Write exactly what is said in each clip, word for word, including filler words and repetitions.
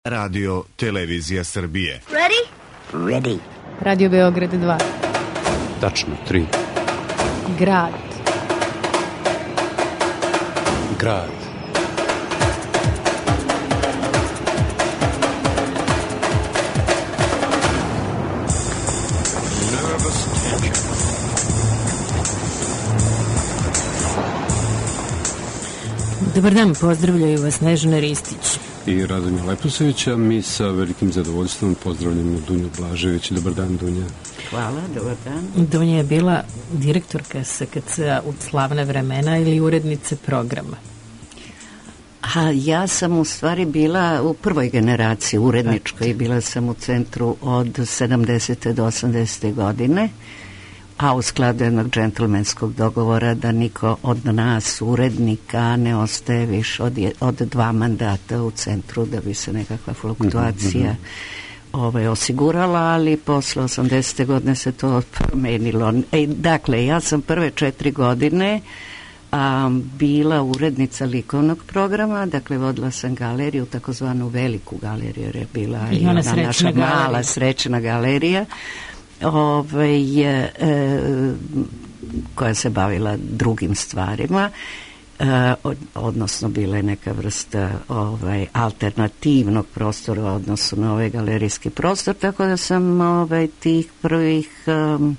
Radio Televizija Srbije. Ready? Ready. Radio Beograd dva. Tačno, tri. Grad. Grad. Dobar dan, pozdravljaju vas Snežana Ristić I Radomir Leposavić, a mi sa velikim zadovoljstvom pozdravljamo Dunju Blažević. Dobar dan, Dunja. Hvala, dobar dan. Dunja je bila direktorka S K C-a u slavna vremena ili urednice programa? A ja sam u stvari bila u prvoj generaciji uredničkoj, bila sam u centru od sedamdesete do osamdesete godine, a u skladu jednog džentlmenskog dogovora da niko od nas urednika ne ostaje više od, je, od dva mandata u centru, da bi se nekakva fluktuacija ovaj, osigurala, ali posle osamdesete godine se to promenilo. E, dakle, ja sam prve četiri godine a, bila urednica likovnog programa, dakle vodila sam galeriju, takozvanu veliku galeriju, jer je bila i, I ona, ona naša galerija. mala srećna galerija, Ove, e, koja se bavila drugim stvarima, e, od, odnosno bila je neka vrsta ovaj, alternativnog prostora u odnosu na ovaj galerijski prostor, tako da sam ovaj, tih prvih um,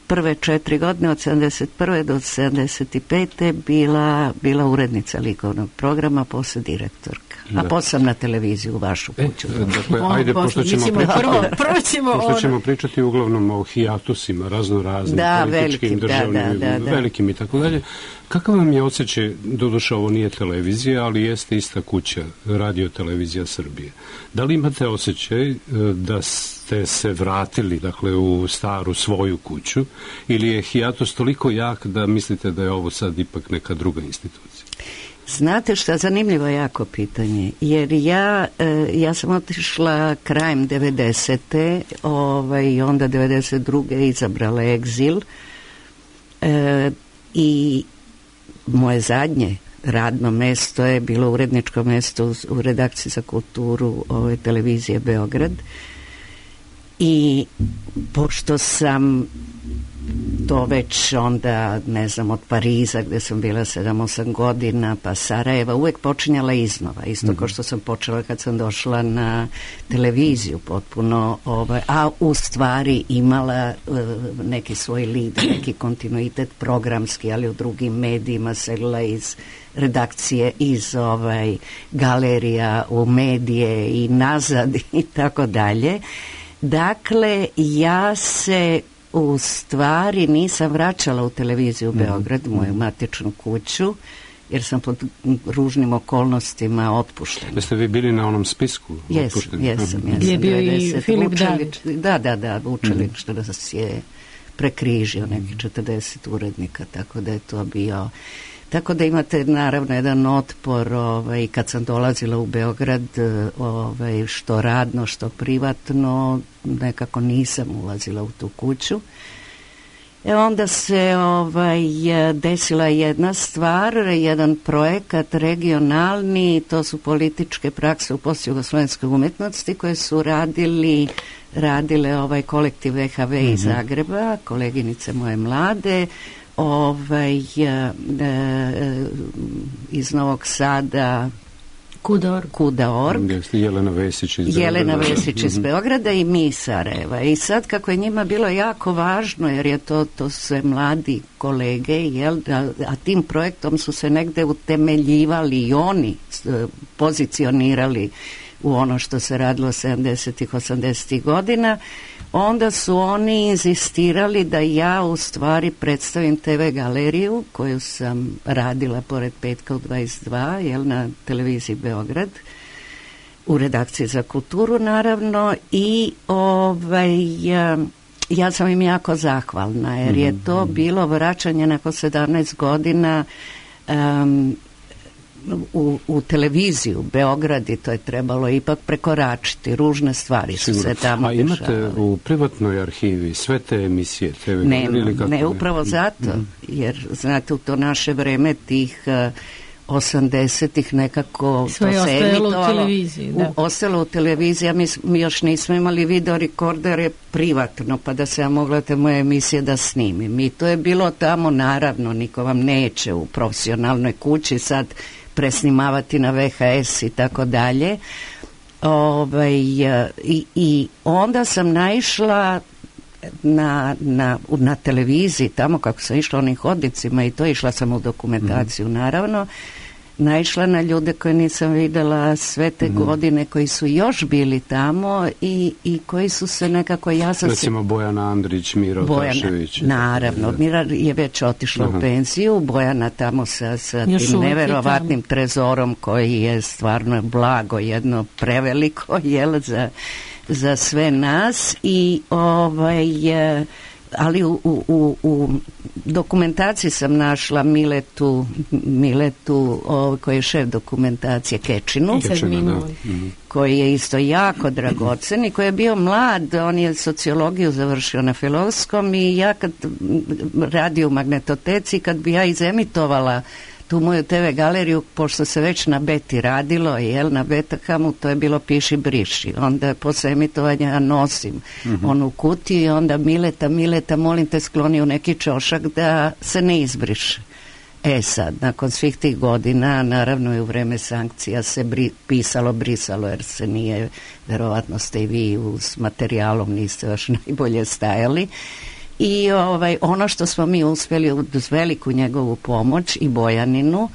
prve četiri godine od sedamdeset prve do sedamdeset pete bila, bila urednica likovnog programa, posle direktorka. A posle sam na televiziju u vašu kuću. E, dakle, ajde, pošto ćemo, pričati, prvo, prvo ćemo, pošto ćemo pričati uglavnom o hijatusima, razno raznim da, političkim, velikim, državnim, da, da, da, velikim i tako dalje. Kakav vam je osjećaj, doduše ovo nije televizija, ali jeste ista kuća, Radio Televizija Srbije. Da li imate osjećaj da ste se vratili, dakle, u staru svoju kuću, ili je hijatus toliko jak da mislite da je ovo sad ipak neka druga institucija? Znate šta, zanimljivo jako pitanje, jer ja, ja sam otišla krajem devedesete ovaj, i onda devedeset druge izabrala egzil e, i moje zadnje radno mesto je bilo uredničko mesto u redakciji za kulturu ove televizije Beograd i pošto sam to već onda, ne znam, od Pariza gde sam bila sedam osam godina, pa Sarajeva, uvek počinjala iznova, isto mm-hmm. kao što sam počela kad sam došla na televiziju potpuno, ovaj, a u stvari imala uh, neki svoj lead, neki kontinuitet programski, ali u drugim medijima, selila iz redakcije, iz ovaj, galerija u medije i nazad i tako dalje. Dakle, ja se u stvari nisam vraćala u televiziju u Beograd, mm. moju matičnu kuću, jer sam pod ružnim okolnostima otpuštena. Jeste vi bili na onom spisku? Jesam, jesam, jesam. Je bio i Filip David. Da, da, da, Vučelić mm. nas je prekrižio neki četrdeset urednika, tako da je to bio... Tako da imate naravno jedan otpor ovaj, kad sam dolazila u Beograd, ovaj, što radno, što privatno, nekako nisam ulazila u tu kuću. E onda se ovaj, desila jedna stvar, jedan projekat regionalni, to su političke prakse u postjugoslovenskoj umetnosti koje su radili, radile ovaj kolektiv V H V mm-hmm. iz Zagreba, koleginice moje mlade, ovaj, e, e, iz Novog Sada Kuda.org. Kuda.org. Jelena Vesić iz Jelena Beograda. Vesić iz Beograda i mi iz Sarajeva. I sad kako je njima bilo jako važno, jer je to, to sve mladi kolege, jel, a, a tim projektom su se negde utemeljivali i oni pozicionirali u ono što se radilo sedamdesetih, osamdesetih godina, onda su oni insistirali da ja u stvari predstavim te ve galeriju koju sam radila pored petka u dvadeset dva, jel, na televiziji Beograd, u redakciji za kulturu naravno, i ovaj, ja, ja sam im jako zahvalna, jer je to bilo vraćanje nakon sedamnaest godina um, U, u televiziju Beograd, i to je trebalo ipak prekoračiti, ružne stvari su Sigurno. se tamo A imate dešavale. u privatnoj arhivi sve te emisije? Te ne, ili kako ne, upravo zato, mm. jer znate u to naše vreme tih uh, osamdesetih nekako sve to se ostajalo emitovalo. u televiziji, da. U, ostalo u televiziji, a mi, mi još nismo imali video rekordere privatno, pa da se ja mogla te moje emisije da snimim. I to je bilo tamo, naravno, niko vam neće u profesionalnoj kući sad presnimavati na V H S i tako dalje. Ovaj, i, i onda sam naišla na, na, na televiziji, tamo kako sam išla onim hodnicima i to, išla sam u dokumentaciju, mm-hmm. naravno, naišla na ljude koje nisam videla sve te mm-hmm. godine, koji su još bili tamo i, i koji su se nekako, ja sam recimo se... Bojana Andrić, Miro Bojana, Tašević. Naravno, Mira je već otišla Aha. u penziju, Bojana tamo sa, sa tim neverovatnim trezorom koji je stvarno blago, jedno preveliko, jel, za za sve nas i ovaj, ali u, u, u dokumentaciji sam našla Miletu, Miletu ovaj, koji je šef dokumentacije Kečinu, Kečinu koji je isto jako dragocen i koji je bio mlad, on je sociologiju završio na Filozofskom i ja kad radio u Magnetoteci, kad bi ja izemitovala tu moju te ve galeriju, pošto se već na Beti radilo, jel, na Betakamu, to je bilo piši briši. Onda posle emitovanja ja nosim mm-hmm. onu kutiju i onda Mileta, Mileta, molim te skloni u neki čošak da se ne izbriše. E sad, nakon svih tih godina, naravno i u vreme sankcija se bri, pisalo, brisalo, jer se nije, verovatno ste i vi s materijalom niste baš najbolje stajali. I ovaj, ono što smo mi uspjeli uz veliku njegovu pomoć i Bojaninu,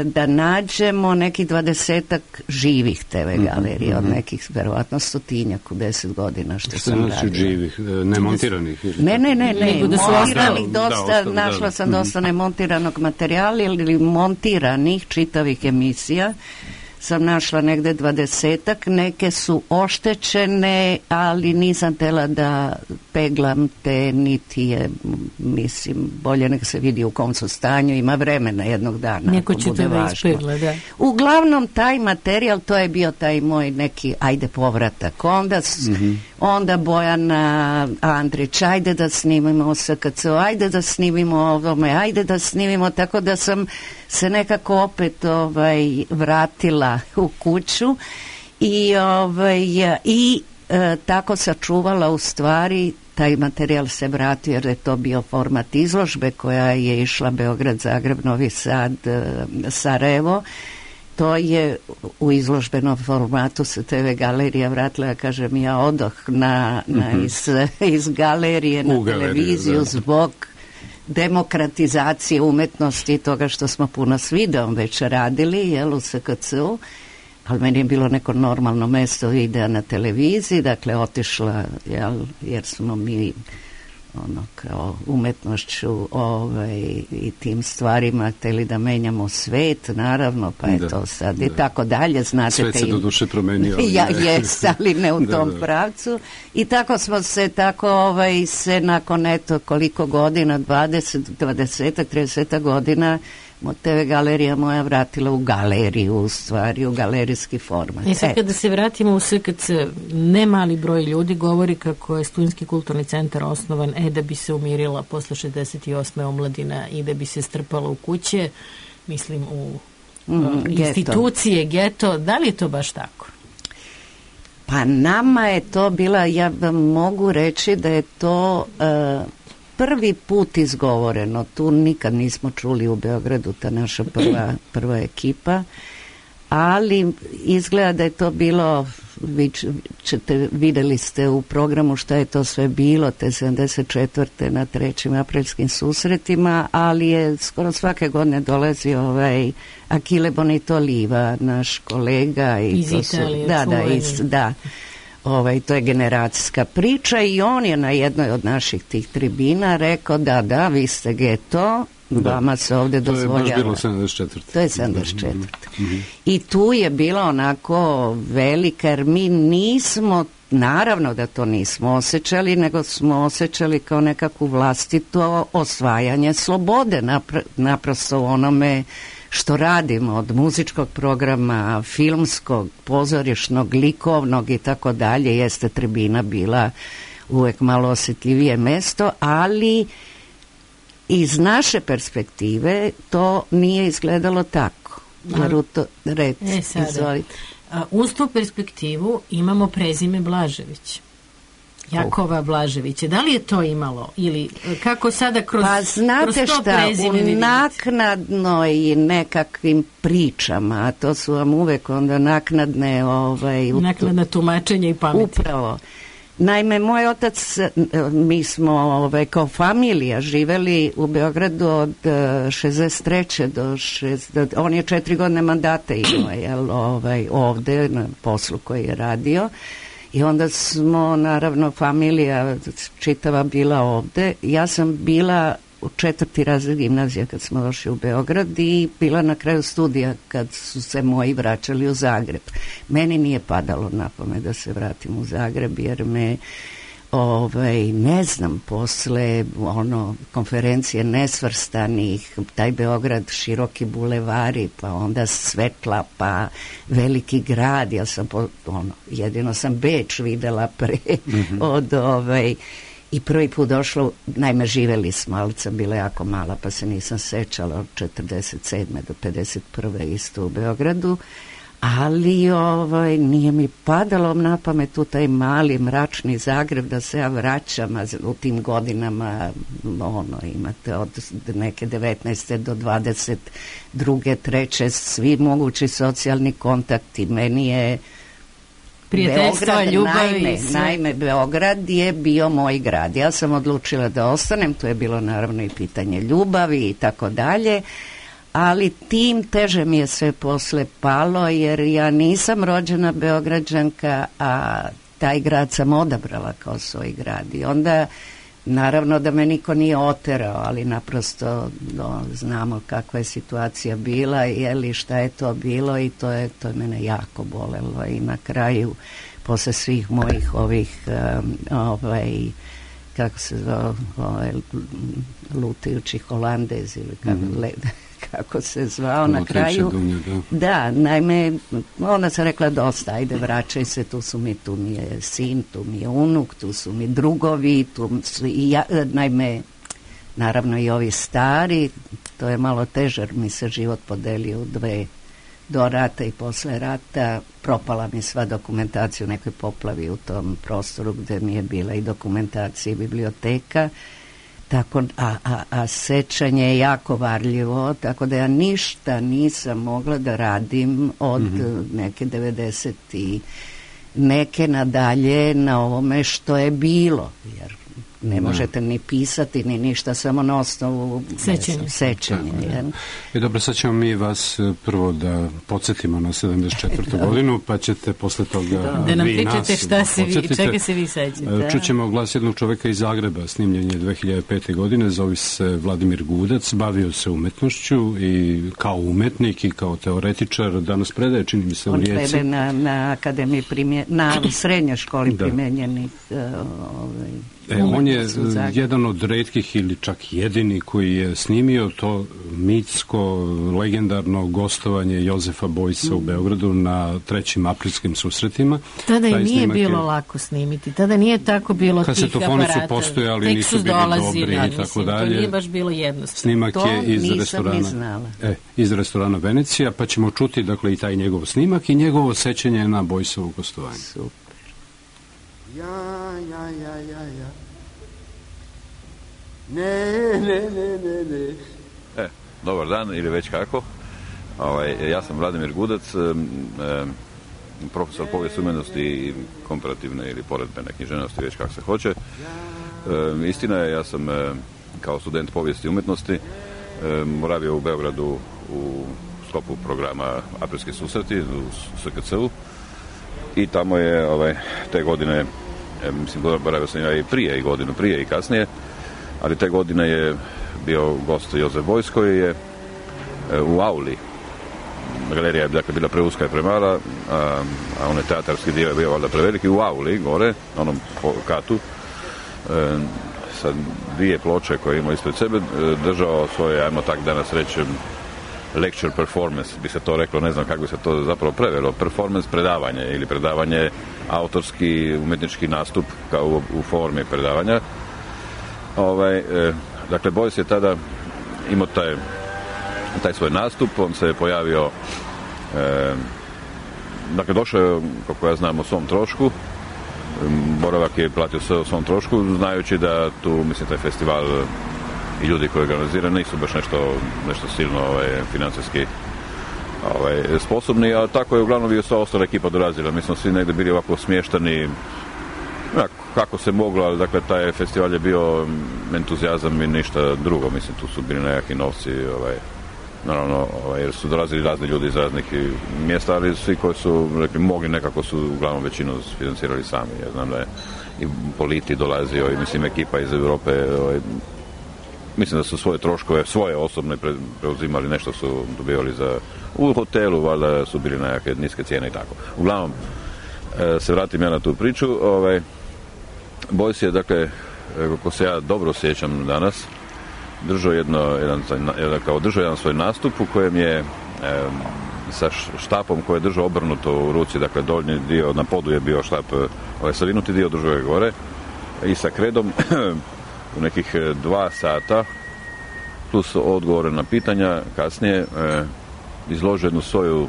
da nađemo nekih dvadesetak živih te ve galerija, mm-hmm. od nekih verovatno stotinjak u deset godina što, što sam radila. Što znači živih, nemontiranih? Ne, ne, ne, ne, montiranih dosta, da, našla da. sam dosta nemontiranog materijala ili montiranih čitavih emisija. Sam našla negde dvadesetak, neke su oštećene, ali nisam tela da peglam te, niti je, mislim, bolje nek se vidi u kom su stanju, ima vremena jednog dana. Neko će to da ispegla, da. Uglavnom, taj materijal, to je bio taj moj neki, ajde, povratak. Onda, mm-hmm. onda Bojana Andrić, ajde da snimimo S K C, ajde da snimimo ovome, ajde da snimimo, tako da sam se nekako opet ovaj, vratila u kuću i, ovaj, i e, tako sačuvala u stvari, taj materijal se vratio jer je to bio format izložbe koja je išla Beograd, Zagreb, Novi Sad, e, Sarajevo. To je u izložbenom formatu se te ve galerija vratila, ja kažem, ja odoh na, na iz, iz galerije na u televiziju galeriju, zbog demokratizacije umetnosti i toga što smo puno s videom već radili, jel, u S K C-u, ali meni je bilo neko normalno mesto videa na televiziji, dakle otišla, jel, jer smo mi ono kao umetnošću ovaj, i tim stvarima hteli da menjamo svet, naravno, pa je da, to sad da. I tako dalje, znate. Svet se do duše promenio. Ja, jes, ali ne u da, tom da. pravcu. I tako smo se, tako ovaj, se nakon eto koliko godina, dvadeset, dvadeset, trideset godina, te ve galerija moja vratila u galeriju, u stvari, u galerijski format. I sad kada se vratimo u S K C, ne mali broj ljudi govori kako je Studentski kulturni centar osnovan e da bi se umirila posle šezdeset osme omladina i da bi se strpala u kuće, mislim u mm, uh, institucije, geto. Da li je to baš tako? Pa nama je to bila, ja vam mogu reći da je to uh, prvi put izgovoreno, tu nikad nismo čuli u Beogradu, ta naša prva, prva ekipa, ali izgleda da je to bilo, vi ćete, videli ste u programu šta je to sve bilo, te sedamdeset četvrte na trećim aprilskim susretima, ali je skoro svake godine dolazio ovaj Achille Bonito-Oliva, naš kolega. I iz to Italije, su, da, da, iz, da. Ovaj, to je generacijska priča i on je na jednoj od naših tih tribina rekao da, da, vi ste geto, da. Vama se ovde dozvoljava. To je baš bilo sedamdeset četvrte. To je sedamdeset četvrte. Mm-hmm. I tu je bila onako velika, jer mi nismo, naravno da to nismo osjećali, nego smo osjećali kao nekakvu vlastito osvajanje slobode, napr- naprosto onome što radimo, od muzičkog programa, filmskog, pozorišnog, likovnog i tako dalje, jeste tribina bila uvek malo osjetljivije mesto, ali iz naše perspektive to nije izgledalo tako. Naruto, red, e, sada, izvolite. A, uz tu perspektivu imamo prezime Blažević. Jakova Blaževića. Da li je to imalo? Ili kako sada kroz, pa znate kroz to šta, prezime u naknadnoj nekakvim pričama, a to su vam uvek onda naknadne ovaj, naknadna tumačenja i pameti. Upravo. Naime, moj otac, mi smo ovaj, kao familija živeli u Beogradu od šezdeset treće do šezdeset on je četiri godine mandata imao, jel, ovaj, ovde na poslu koji je radio. I onda smo, naravno, familija čitava bila ovde. Ja sam bila u četvrti razred gimnazija kad smo došli u Beograd i bila na kraju studija kad su se moji vraćali u Zagreb. Meni nije padalo na pamet da se vratim u Zagreb jer me ovaj, ne znam, posle ono, konferencije nesvrstanih, taj Beograd, široki bulevari, pa onda svetla, pa veliki grad, ja sam po, ono, jedino sam Beč videla pre mm-hmm. od ovaj, i prvi put došlo, naime živeli smo, ali sam bila jako mala pa se nisam sećala od četrdeset sedme do pedeset prve isto u Beogradu, ali ovaj, nije mi padalo na pamet u taj mali mračni Zagreb da se ja vraćam, a u tim godinama ono, imate od neke devetnaeste do dvadeset druge, treće svi mogući socijalni kontakti. Meni je prijateljstva, ljubav naime, i sve. naime, Beograd je bio moj grad. Ja sam odlučila da ostanem, to je bilo naravno i pitanje ljubavi i tako dalje, ali tim teže mi je sve posle palo, jer ja nisam rođena Beograđanka, a taj grad sam odabrala kao svoj grad. I onda, naravno da me niko nije oterao, ali naprosto no, znamo kakva je situacija bila, jeli šta je to bilo i to je, to je mene jako bolelo. I na kraju, posle svih mojih ovih um, ovaj, kako se zove, ovaj, lutajući Holandez ili kako mm-hmm. led, kako se zvao na kraju. Dunja, da. da, naime, onda sam rekla dosta, ajde vraćaj se, tu su mi, tu mi je sin, tu mi je unuk, tu su mi drugovi, tu su i ja, naime, naravno i ovi stari, to je malo teže, mi se život podelio u dve, do rata i posle rata, propala mi sva dokumentacija u nekoj poplavi u tom prostoru gde mi je bila i dokumentacija i biblioteka. Tako, a, a, a sećanje je jako varljivo, tako da ja ništa nisam mogla da radim od mm-hmm. neke devedeset i neke nadalje na ovome što je bilo, jer ne da. možete ni pisati ni ništa, samo na osnovu sećanja. sećanja da, da. I dobro, sad ćemo mi vas prvo da podsjetimo na sedamdeset četvrtu godinu, pa ćete posle toga da, da nam pričate šta se vi, čega se vi sećate. Čućemo glas jednog čoveka iz Zagreba, snimljen je dve hiljade pete. godine, zove se Vladimir Gudac, bavio se umetnošću i kao umetnik i kao teoretičar, danas predaje, čini mi se, u Rijeci. On predaje na, na akademiji primje, na srednjoj školi da. primenjenih uh, ovaj, E, on je jedan od retkih ili čak jedini koji je snimio to mitsko, legendarno gostovanje Jozefa Bojsa u Beogradu na trećim aprilskim susretima. Tada i nije bilo je, lako snimiti, tada nije tako bilo tih aparata. Kasetofoni su postojali, nisu bili dolazili, dobri da, i tako mislim, dalje. To nije baš bilo jednostavno. Snimak to je iz restorana, e, iz restorana Venecija, pa ćemo čuti dakle i taj njegov snimak i njegovo sećanje na Bojsovo gostovanje. Super. Ja, ja, ja, ja, ja. Ne, ne, ne, ne, ne. E, dobar dan ili već kako. Ovaj, ja sam Vladimir Gudac, e, profesor povijesti umetnosti i komparativne ili poredbene književnosti, već kako se hoće. E, istina je, ja sam e, kao student povijesti umetnosti e, boravio u Beogradu u sklopu programa Aprilski susreti u S K C-u i tamo je ovaj, te godine, e, mislim, boravio sam ja i prije i godinu prije i kasnije, ali te godine je bio gost Jozef Bojs koji je e, u auli. Galerija je dakle, bila preuska i premala, a, a onaj teatarski dio je bio valjda preveliki. U auli, gore, na onom katu, e, sa dvije ploče koje ima ispred sebe, e, držao svoje, ajmo tak danas reći, lecture performance, bi se to reklo, ne znam kako bi se to zapravo prevelo, performance predavanje ili predavanje, autorski umetnički nastup kao u, u formi predavanja. Ovaj, e, dakle, Bojs je tada imao taj taj svoj nastup, on se je pojavio, e, dakle došao je, kako ja znam, o svom trošku, boravak je platio sve o svom trošku, znajući da tu, mislim, taj festival i ljudi koji organiziraju nisu baš nešto, nešto silno ovaj, financijski ovaj, sposobni, a tako je uglavnom i sva ostala ekipa dolazila. Mi smo svi negdje bili ovako smještani kako se moglo, ali dakle taj festival je bio entuzijazam i ništa drugo, mislim, tu su bili nekakvi novci, ovaj, naravno, ovaj, jer su dolazili razni ljudi iz raznih mjesta, ali svi koji su rekli, mogli, nekako su uglavnom većinu financirali sami. Ja znam da je i Politi dolazio i, mislim, ekipa iz Europe, ovaj, mislim da su svoje troškove, svoje osobne preuzimali, nešto su dobivali za, u hotelu, valjda su bili nekakve niske cijene i tako. Uglavnom, se vratim ja na tu priču, ovaj, Boys je, dakle, kako se ja dobro sjećam danas, držao jedno, jedan, jedan, kao držao jedan svoj nastup u kojem je e, sa štapom koji je držao obrnuto u ruci, dakle donji dio, na podu je bio štap, ovaj savinuti dio držao je gore i sa kredom u nekih dva sata plus odgovore na pitanja kasnije e, izložio jednu svoju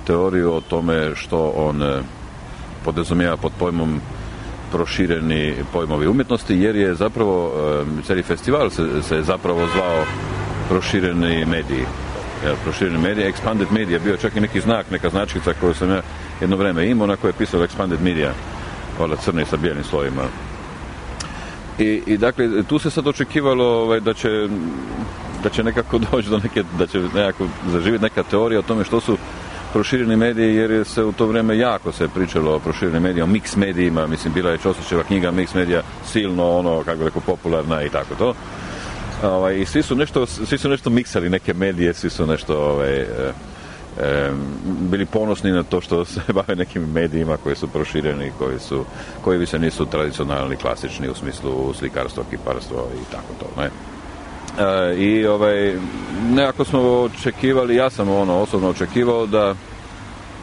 teoriju o tome što on e, podrazumijeva pod pojmom prošireni pojmovi umjetnosti, jer je zapravo e, cijeli festival se, se zapravo zvao prošireni mediji. Ja, prošireni mediji, Expanded Media, bio čak i neki znak, neka značkica koju sam ja jedno vrijeme imao, na kojoj je pisalo Expanded Media, valjda crni sa bijelim slovima. I, i dakle, tu se sad očekivalo ovaj, da će da će nekako doći do neke, da će nekako zaživjeti neka teorija o tome što su prošireni mediji, jer se u to vrijeme jako se pričalo o proširenim medijima, o mix medijima, mislim, bila je Ćosićeva knjiga Mix medija, silno ono, kako rekao, popularna i tako to. Ovaj, i svi su nešto, svi su nešto miksali neke medije, svi su nešto ovaj, e, e, bili ponosni na to što se bave nekim medijima koji su prošireni, koji su, koji više nisu tradicionalni, klasični u smislu slikarstva, kiparstva i tako to, ne. E, i ovaj, nekako smo očekivali, ja sam ono osobno očekivao da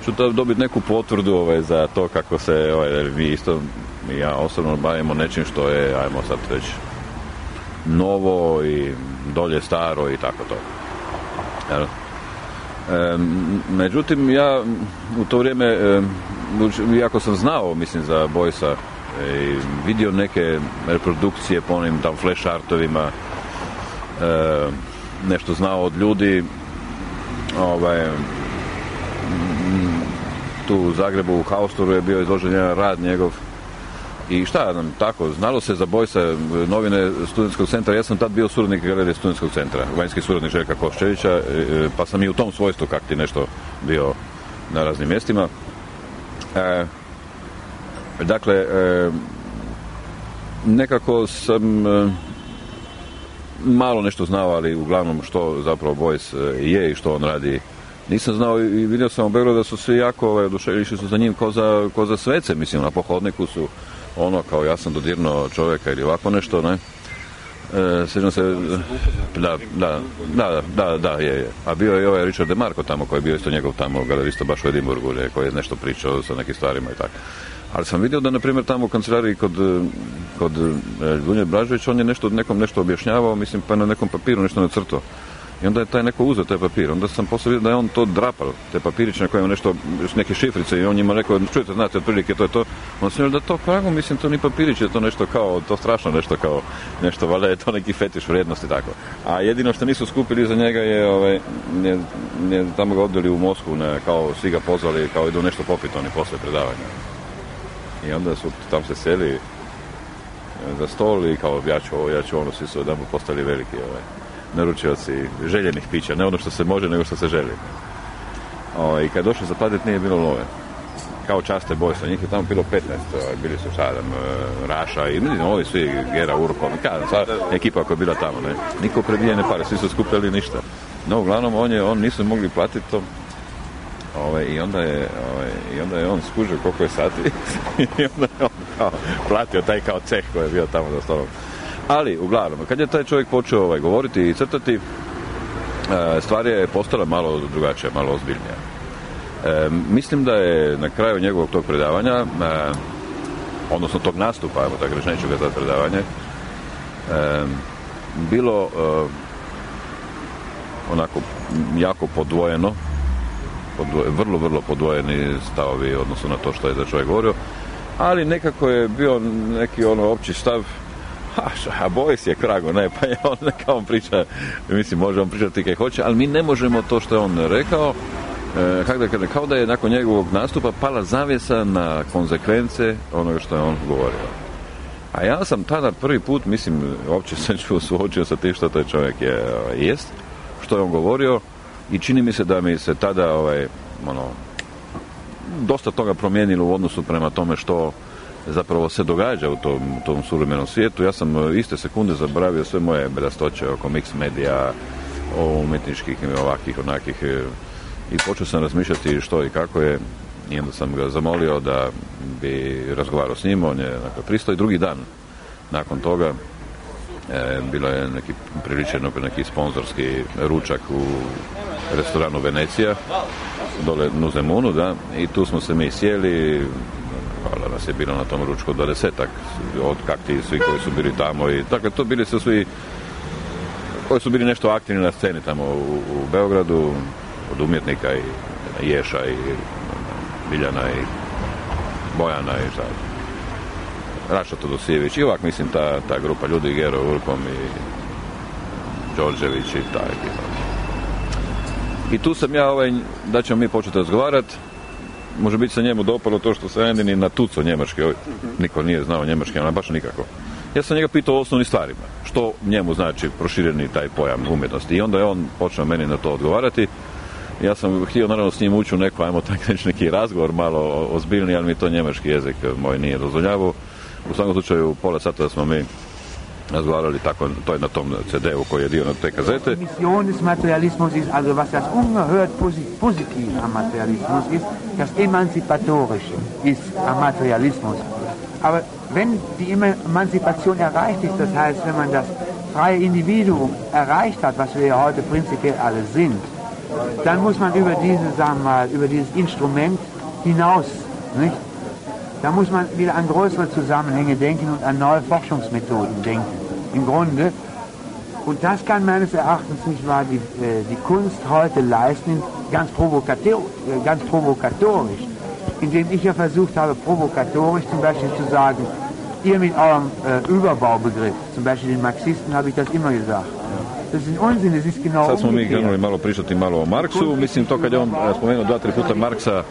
ću dobiti neku potvrdu ovaj, za to kako se ovaj, mi isto, ja osobno bavimo nečim što je, ajmo sad već novo i dolje staro i tako to. E, međutim, ja u to vrijeme, e, iako sam znao, mislim, za Boysa, e, vidio neke reprodukcije po onim tam flash artovima, e, nešto znao od ljudi, ovaj, tu u Zagrebu u Haustoru je bio izložen jedan rad njegov. I šta nam tako, znalo se za Boysa, novine Studentskog centra, ja sam tad bio suradnik galerije Studentskog centra, vanjski suradnik Željka Koščevića, pa sam i u tom svojstvu kak ti nešto bio na raznim mjestima. E, dakle, e, nekako sam e, malo nešto znao, ali uglavnom što zapravo Boys je i što on radi nisam znao, i vidio sam u Beogradu da su svi jako ovaj, oduševljeni, išli su za njim ko za, ko za svece, mislim, na pohodniku su ono kao ja sam dodirnuo čovjeka ili ovako nešto, ne. E, sjećam se, da, da, da, da, da, je, je. A bio je i ovaj Richard DeMarco tamo, koji je bio isto njegov tamo galerista baš u Edinburgu, koji je nešto pričao sa nekim stvarima i tako. Ali sam vidio da, na primjer, tamo u kancelariji kod, kod Dunje Blažević, on je nešto, nekom nešto objašnjavao, mislim, pa na nekom papiru nešto nacrtao. I onda je taj neko uzeo taj papir. Onda sam poslije vidio da je on to drapao, te papiriće na kojem nešto, neke šifrice, i on njima rekao, čujete, znate, otprilike to je to. On sam da to prago, mislim, to ni papirić, je to nešto kao, to strašno nešto kao, nešto, valjda je to neki fetiš vrijednosti, tako. A jedino što nisu skupili za njega je, ovaj, je, je tamo ga odveli u Moskvu, ne, kao svi ga pozvali, kao idu nešto popiti oni poslije predavanja. I onda su tam se seli za stol i kao, ja ću ovo, ja ću ono, svi su odamo postali veliki, ovaj, naručioci željenih pića, ne ono što se može, nego što se želi. O, i kad došlo zapaditi nije bilo love. Kao časte Boysa, njih je tamo bilo petnaest, bili su Šadam, Raša i vidim, ovi svi, Gera, Urko, kada, sva ekipa koja je bila tamo, ne. Niko predijene pare, svi su skupljali ništa. No, uglavnom, on je, on nisu mogli platiti to. Ove, i, onda je, ove, I onda je on skužio koliko je sati i onda je on kao platio taj kao ceh koji je bio tamo za stolom. Ali, uglavnom, kad je taj čovjek počeo ovaj, govoriti i crtati, e, stvar je postala malo drugačija, malo ozbiljnija. E, mislim da je na kraju njegovog tog predavanja, e, odnosno tog nastupa, evo tako reći, neću ga za predavanje, e, bilo e, onako jako podvojeno, podvoje, vrlo, vrlo podvojeni stavovi odnosno na to što je da čovjek govorio, ali nekako je bio neki ono opći stav, a, a Boris je krago, ne, pa je on, neka on priča, mislim, može on pričati kaj hoće, ali mi ne možemo to što je on rekao, e, kako da kažem, kao da je nakon njegovog nastupa pala zavjesa na konzekvence onoga što je on govorio. A ja sam tada prvi put, mislim, uopće se čuo suočio sa tim što taj čovjek je, jest, što je on govorio, i čini mi se da mi se tada ovaj, ono, dosta toga promijenilo u odnosu prema tome što zapravo se događa u tom, u tom suvremenom svijetu. Ja sam iste sekunde zaboravio sve moje bedastoće oko mix medija, o umjetničkih ovakvih, onakih, i počeo sam razmišljati što i kako je, i onda sam ga zamolio da bi razgovarao s njim, on je dakle, pristao, i drugi dan nakon toga e, bilo je neki priličen neki sponzorski ručak u restoranu Venecija, dole u Zemunu, da, i tu smo se mi sjeli, hvala, nas je bilo na tom ručku dvadesetak, od kakti svi koji su bili tamo, i dakle to bili su svi koji su bili nešto aktivni na sceni tamo u, u Beogradu, od umjetnika i Ješa i Biljana i Bojana i šta, Raša Todosijević i ovak, mislim, ta, ta grupa ljudi, Gero Urkom i Đorđević i ta ekipa. I tu sam ja, ovaj, da ćemo mi početi razgovarati, može biti se njemu dopalo to što sam jedini natucao njemački, ovaj, niko nije znao njemački, ali baš nikako. Ja sam njega pitao o osnovnim stvarima, što njemu znači prošireni taj pojam umjetnosti, i onda je on počeo meni na to odgovarati. Ja sam htio naravno s njim ući u neko, ajmo tako reći, neki razgovor malo ozbiljni, ali mi to njemački jezik moj nije dozvoljavao. U svakom slučaju pola sata da smo mi razgovarali tako, to je na tom ce de u koji je dio na te kazete. Mission des Materialismus ist, also was das ungehört positiv am Materialismus ist, das Emanzipatorische ist am Materialismus. Aber wenn die Emanzipation erreicht ist, das heißt, wenn man das freie Individuum erreicht hat, was wir ja heute prinzipiell alle sind, dann muss man über diese, sagen wir mal, über dieses Instrument hinaus, nicht? Da muss man wieder an größere Zusammenhänge denken und an neue Forschungsmethoden denken. Im Grunde. Und das kann meines Erachtens nicht wahr die, die Kunst heute leisten, ganz, provokator, ganz provokatorisch, indem ich ja versucht habe, provokatorisch zum Beispiel zu sagen, ihr mit eurem äh, Überbaubegriff, zum Beispiel den Marxisten habe ich das immer gesagt. Das ist Unsinn, das ist genau Sad smo mi umgekehrt. krenuli malo pričati malo o Marksu, mislim to kad je on spomenuo dva, tri puta Marksa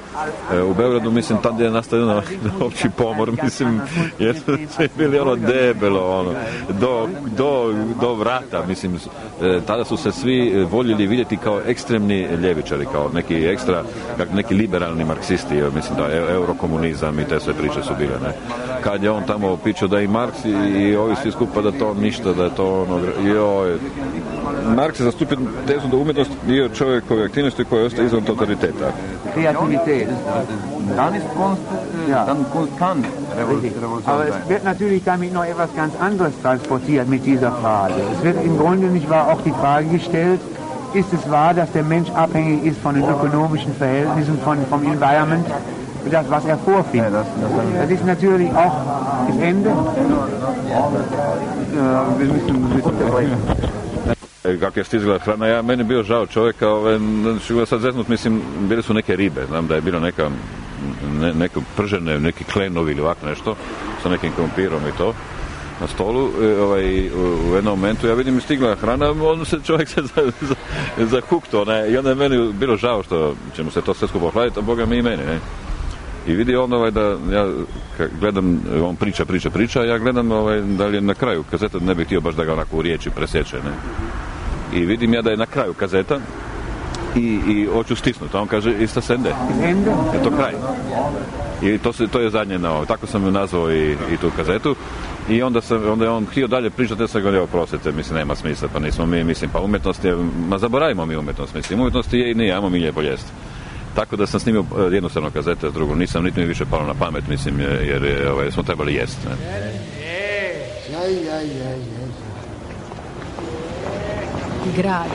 e, u Beogradu, mislim tad je nastao jedan opći pomor, mislim, jer su bili ono debelo, ono, do, do, do vrata, mislim, e, tada su se svi voljeli vidjeti kao ekstremni ljevičari, kao neki ekstra, kao neki liberalni marksisti, mislim da je eurokomunizam i te sve priče su bile, ne. Kad je on tamo pričao da i Marks i, i ovi svi skupa da to ništa, da je to ono, joj, Marks je zastupio tezu da umjetnost dio čovjekove aktivnosti koja ostaje izvan totaliteta. Kreativität. Dann ist Kunst, äh, Ja. dann Kunst kann Richtig. Revolution Aber es sein. wird natürlich damit noch etwas ganz anderes transportiert mit dieser Frage. Es wird im Grunde nicht wahr auch die Frage gestellt, ist es wahr, dass der Mensch abhängig ist von den ökonomischen Verhältnissen, von, vom Environment, das, was er vorfindet. Ja, das, das, Das ist natürlich auch das Ende. Ja, wir müssen ein bisschen Kako je stizala hrana, ja, meni je bio žao čovjeka, ove, znači, sad zeznut, mislim, bile su neke ribe, znam da je bilo neka, ne, neke pržene, neki klenovi ili ovako nešto, sa nekim krompirom i to, na stolu, ovaj, u jednom momentu, ja vidim, stigla hrana, on se čovjek se zahukto, za, za ne, i onda je meni bilo žao što će mu se to sve skupo hladiti, a Boga mi i meni, ne. I vidi on ovaj da ja gledam, on priča, priča, priča, ja gledam ovaj da li je na kraju kazeta, ne bih htio baš da ga onako u riječi presječe, ne. I vidim ja da je na kraju kazeta i, i hoću stisnuti, a on kaže ista sende. Ende. Je to kraj. I to, se, to je zadnje na ovo. Tako sam nazvao i, i tu kazetu. I onda, sam, onda je on htio dalje pričati, ja sam govorio, oprostite, mislim, nema smisla, pa nismo mi, mislim, pa umjetnost je, ma zaboravimo mi umjetnost, mislim, umjetnost je i nije, ajmo mi lijepo jesti. Tako da sam snimio jednostavno kazete, drugo nisam, niti mi više palo na pamet, mislim, jer, jer ovaj, smo trebali jesti. Ne? Ja, ja, ja, ja. Grad.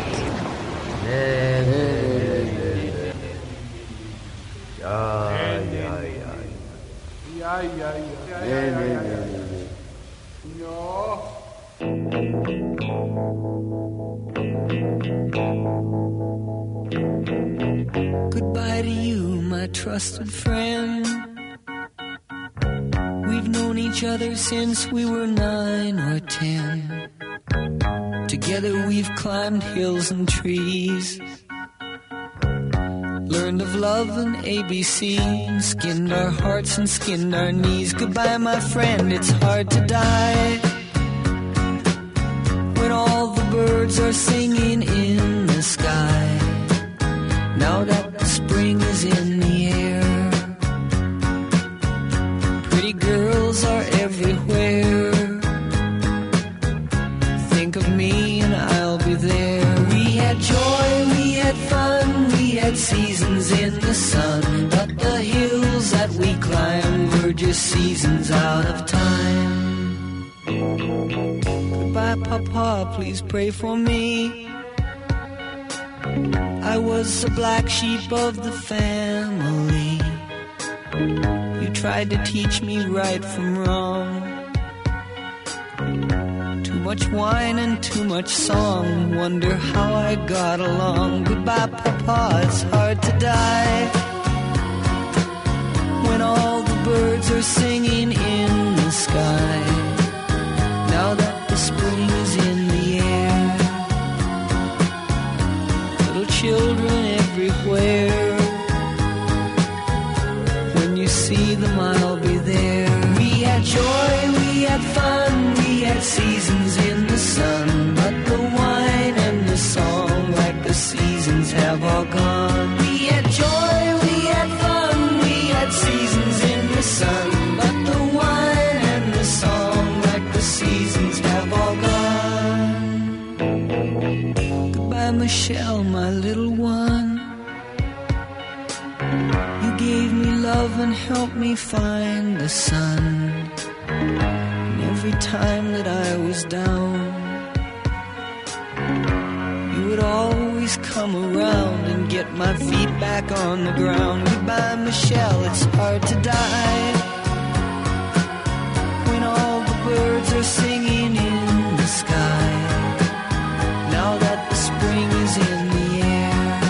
Goodbye to you, my trusted friend. We've known each other since we were nine or ten. Together we've climbed hills and trees, learned of love and A B C, and skinned our hearts and skinned our knees. Goodbye, my friend, it's hard to die when all the birds are singing in the sky. Now that the spring is in the air, pretty girls are everywhere. Think of me and I'll be there. We had joy, we had fun, we had seasons in the sun, but the hills that we climbed were just seasons out of time. Goodbye, Papa, please pray for me. I was the black sheep of the family. You tried to teach me right from wrong. Too much wine and too much song, wonder how I got along. Goodbye, Papa, it's hard to die when all the birds are singing in the sky. Now that the spring is in the air, little children everywhere. When you see them, I'll be there. We had joy, we had fun, we had seasons in the sun, but the wine and the song, like the seasons, have all gone. We had joy, we had fun, we had seasons in the sun, but the wine and the song, like the seasons, have all gone. Goodbye, Michelle, my little one. You gave me love and helped me find the sun. Every time that I was down, you would always come around and get my feet back on the ground. Goodbye, Michelle, it's hard to die when all the birds are singing in the sky. Now that the spring is in the air,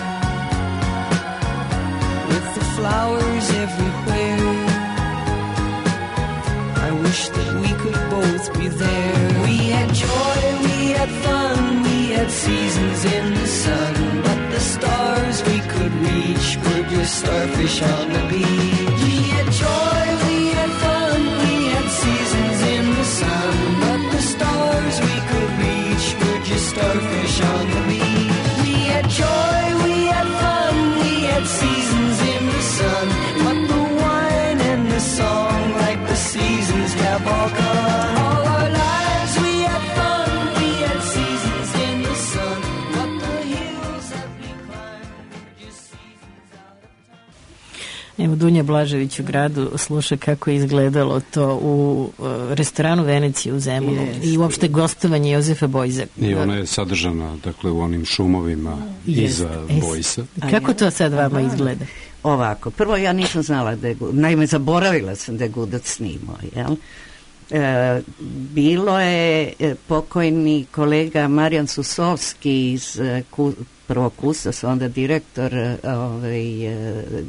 with the flowers everywhere, I wish that we could both be there. We had joy, we had fun, we had seasons in the sun, but the stars we could reach were just starfish on the beach. We had joy, we had fun, we had seasons in the sun, but the stars we could reach were just starfish on the beach. We had joy, we had fun, we had seasons in the sun, but the wine and the song, like the seasons, have all gone. All our lives we had fun, we had seasons in the sun, but the hills that we climbed were just seasons out of time. Evo, Dunja Blažević u gradu sluša kako je izgledalo to u uh, restoranu Venecije u Zemunu yes. i uopšte gostovanje Jozefa Bojza. I ona je sadržana, dakle, u onim šumovima yes. iza es. Bojsa. Kako to sad vama izgleda? Ovako, prvo ja nisam znala da je, naime zaboravila sam da je Gudac snimao, jel? E, bilo je pokojni kolega Marijan Susovski iz ku, prvog Kustos, onda direktor ovaj,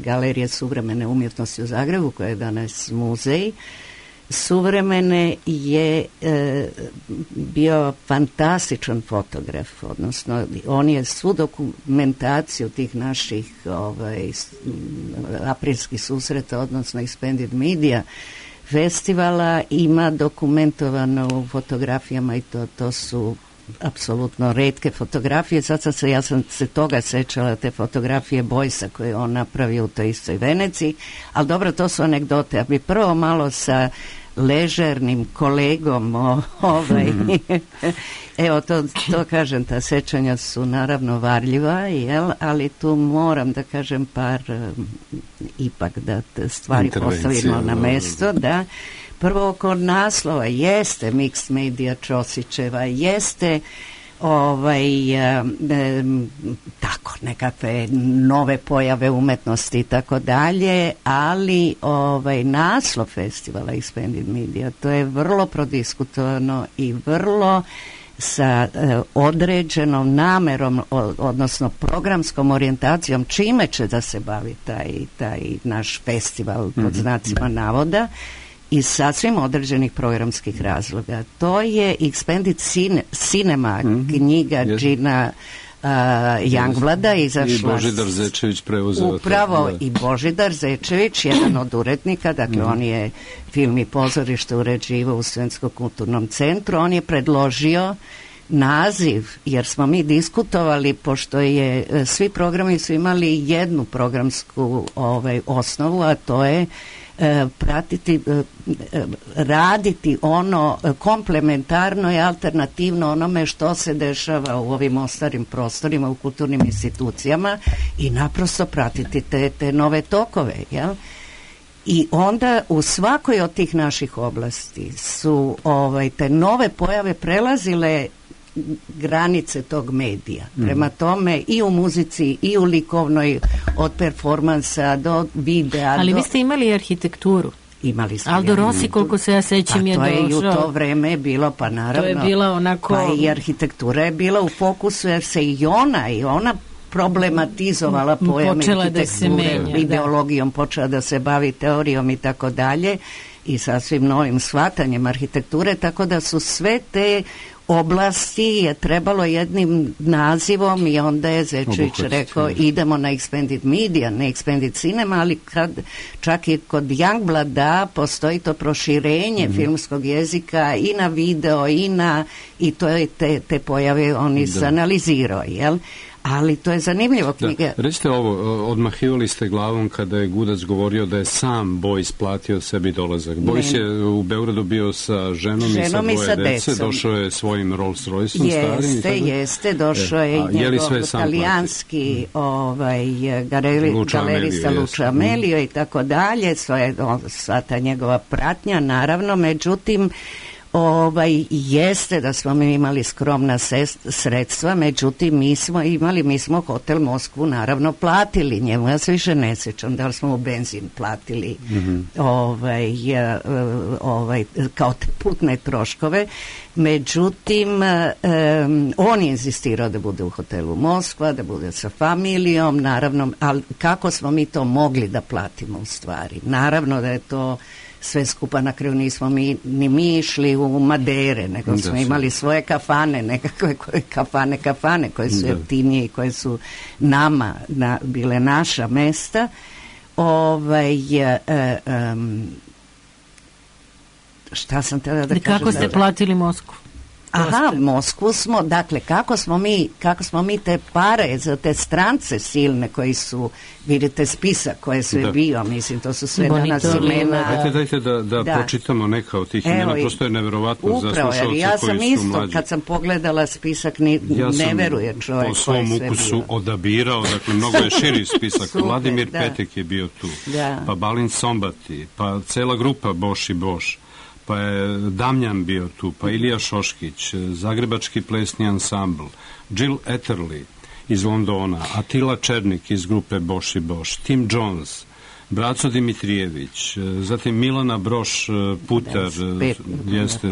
Galerije suvremene umjetnosti u Zagrebu, koja je danas muzej suvremene, je e, bio fantastičan fotograf, odnosno on je svu dokumentaciju tih naših ovaj, aprilskih susreta, odnosno Expanded Media festivala ima dokumentovano u fotografijama i to, to su apsolutno retke fotografije. Sad sam se, ja sam se toga sećala, te fotografije Bojsa koje je on napravio u toj istoj Veneciji, ali dobro, to su anegdote. Ja bi prvo malo sa ležernim kolegom o, ovaj, evo to, to kažem, ta sećanja su naravno varljiva, jel, ali tu moram da kažem par um, ipak da stvari postavimo na mesto, da prvo oko naslova jeste Mixed Media Ćosićeva, jeste ovaj, e, e, tako nekakve nove pojave umetnosti i tako dalje, ali ovaj, naslov festivala Expanded Media, to je vrlo prodiskutovano i vrlo sa e, određenom namerom, o, odnosno programskom orijentacijom čime će da se bavi taj, taj naš festival pod znacima navoda i sasvim određenih programskih razloga. To je Expanded Cine, Cinema, mm-hmm. knjiga yes. Gina uh, Youngblada izašla. I Božidar Zečević preuzeo. Upravo to, i Božidar Zečević, jedan od urednika, dakle mm-hmm. on je film i pozorište uređivao u Studentskom kulturnom centru. On je predložio naziv, jer smo mi diskutovali, pošto je svi programi su imali jednu programsku ovaj, osnovu, a to je E, pratiti, e, e, raditi ono komplementarno i alternativno onome što se dešava u ovim ostarim prostorima, u kulturnim institucijama i naprosto pratiti te, te nove tokove, jel? I onda u svakoj od tih naših oblasti su ovaj, te nove pojave prelazile granice tog medija. Prema tome i u muzici i u likovnoj, od performansa do videa. Ali do... vi ste imali arhitekturu. Imali smo. Aldo Rossi, koliko se ja sećam, je došao. To je i u to vreme bilo, pa naravno. To je bila onako... Pa i arhitektura je bila u fokusu, jer se i ona, i ona problematizovala pojam arhitekture, da ideologijom da. Počela da se bavi teorijom i tako dalje i sasvim novim shvatanjem arhitekture, tako da su sve te oblasti je trebalo jednim nazivom i onda je Zečević rekao idemo na Expanded Media, ne Expanded Cinema, ali kad, čak i kod Youngblada postoji to proširenje mm-hmm. filmskog jezika i na video i na i to je te, te pojave on izanalizirao, jel? Ali to je zanimljivo knjiga. Da. Recite ovo, odmahivali ste glavom kada je Gudac govorio da je sam Bojs platio sebi dolazak. Bojs je u Beogradu bio sa ženom, ženom i sa dvoje dece, došao je svojim Rolls Royceom starim. Jeste, jeste, došao je e, i njegov italijanski ovaj, galeri, Luča galerista Amelio, Luča Amelio i tako dalje, sva ta njegova pratnja, naravno, međutim Ovaj, jeste da smo mi imali skromna sest, sredstva, međutim mi smo imali, mi smo hotel Moskvu naravno platili njemu, ja se više ne sjećam da li smo u benzin platili mm-hmm. ovaj, ovaj, kao putne troškove, međutim um, on je insistirao da bude u hotelu Moskva, da bude sa familijom, naravno, ali kako smo mi to mogli da platimo u stvari? Naravno da je to sve skupa, na kraju nismo mi, ni mi išli u Madere, nego da smo imali svoje kafane, nekakve koje, kafane, kafane koje su jeftinije i koje su nama na, bile naša mesta. Ovaj, e, e, um, šta sam tada da kažem? Kako ste platili Moskvu? Aha, Moskvu smo, dakle, kako smo mi, kako smo mi te pare za te strance silne koji su, vidite spisak koje su je bio, mislim, to su sve danas imena. Dajte, dajte da, da, da pročitamo neka od tih imena, prosto je neverovatno za slušalce ja koji sam isto, su mlađi. Kad sam pogledala spisak, ni, ja ne veruje čovjek po svom ukusu odabirao, dakle, mnogo je širi spisak. Super, Vladimir da. Petek je bio tu, da. Pa Balint Sombati, pa cela grupa Boš i Boš, pa je Damjan bio tu, pa Ilija Šoškić, Zagrebački plesni ansambl, Jill Etterly iz Londona, Atila Černik iz grupe Boš i Boš, Tim Jones, Braco Dimitrijević, zatim Milana Broš Putar, jeste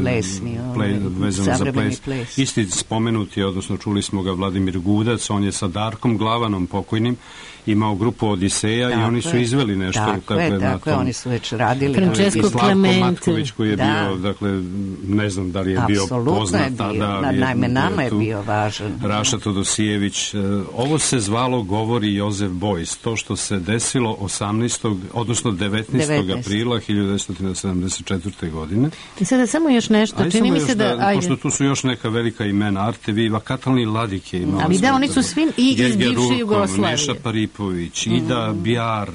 vezan za ples. ples. Isti spomenuti, odnosno čuli smo ga Vladimir Gudac, on je sa Darkom Glavanom pokojnim imao grupu Odiseja tako i oni su izveli nešto. Tako je, tako je, oni su već radili. Francesco Clemente. Matković koji je da. bio, dakle, ne znam da li je Absolutno bio poznat. Je bio, tada, na, najme nama je bio važan. Raša Todosijević. Ovo se zvalo Govori Jozef Bojs. To što se desilo osamnaestog odnosno devetnaestog aprila hiljadu devetsto sedamdeset četvrte. godine. I sada samo još nešto. Ajde, čini mi se da... da pošto tu su još neka velika imena, Arte Viva, Katalin Ladik je imao. Ali da, oni su svi i iz bivše Jugoslavije. Neša Paripović, Ida Bjar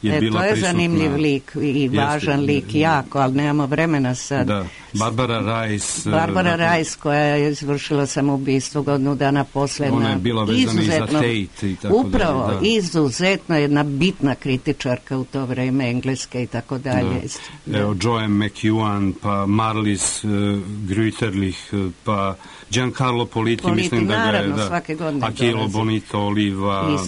je e, bila prisutna. To je zanimljiv lik i važan lik, jako, ali nemamo vremena sad. Da. Barbara Rajs. Barbara Rajs koja je izvršila samoubistvo godinu dana posle. Ona je bila vezana i za Tate i tako dalje. Upravo, da. izuzetno jedna bitna kritičarka u to vreme, engleske i tako dalje. Da. Evo, Joanne McEwan, pa Marlis uh, Grüterlich, pa Giancarlo Politi, Politi mislim da ga je, naravno, da, svake godine Akilo dolazi. Bonito Oliva,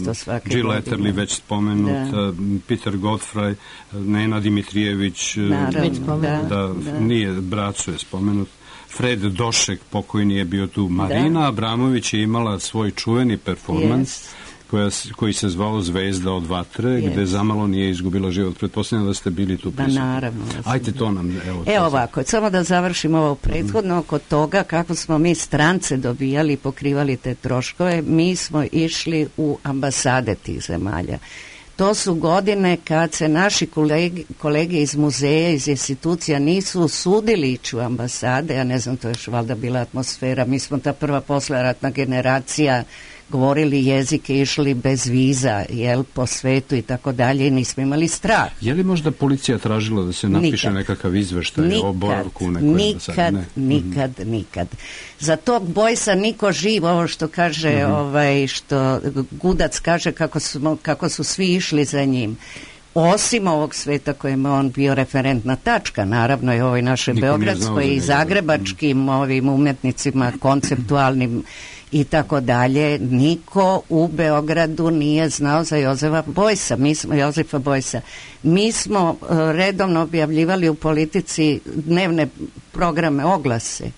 Jill Etterly, već spomenut, da. Peter Godfrey, Nena Dimitrijević, naravno, da, da, da, nije, bracu je spomenut, Fred Došek, pokojni je bio tu, Marina da. Abramović je imala svoj čuveni performans, yes. koja, koji se zvao Zvezda od vatre, yes. gde zamalo nije izgubila život. Pretpostavljam da ste bili tu prisutni. Da, naravno. Da Ajde to nam, evo. Evo ovako, samo da završimo ovo prethodno, oko toga kako smo mi strance dobijali i pokrivali te troškove, mi smo išli u ambasade tih zemalja. To su godine kad se naši kolege, kolege iz muzeja, iz institucija nisu usudili ići u ambasade, ja ne znam, to je još valjda bila atmosfera, mi smo ta prva posleratna generacija, govorili jezike, išli bez viza, jel, po svetu i tako dalje i nismo imali strah. Je li možda policija tražila da se napiše nikad. nekakav izveštaj nikad, o boravku u nekoj nikad, ne. nikad, mm-hmm. nikad. Za tog Bojsa niko živ, ovo što kaže, mm-hmm. ovaj, što Gudac kaže kako su, kako su svi išli za njim. Osim ovog sveta kojem on bio referentna tačka, naravno i ovoj našoj beogradskoj i zagrebačkim mm. ovim umetnicima, konceptualnim i tako dalje, niko u Beogradu nije znao za Jozefa Bojsa, mi smo, Jozefa Bojsa. Mi smo uh, redovno objavljivali u Politici dnevne programe, oglase.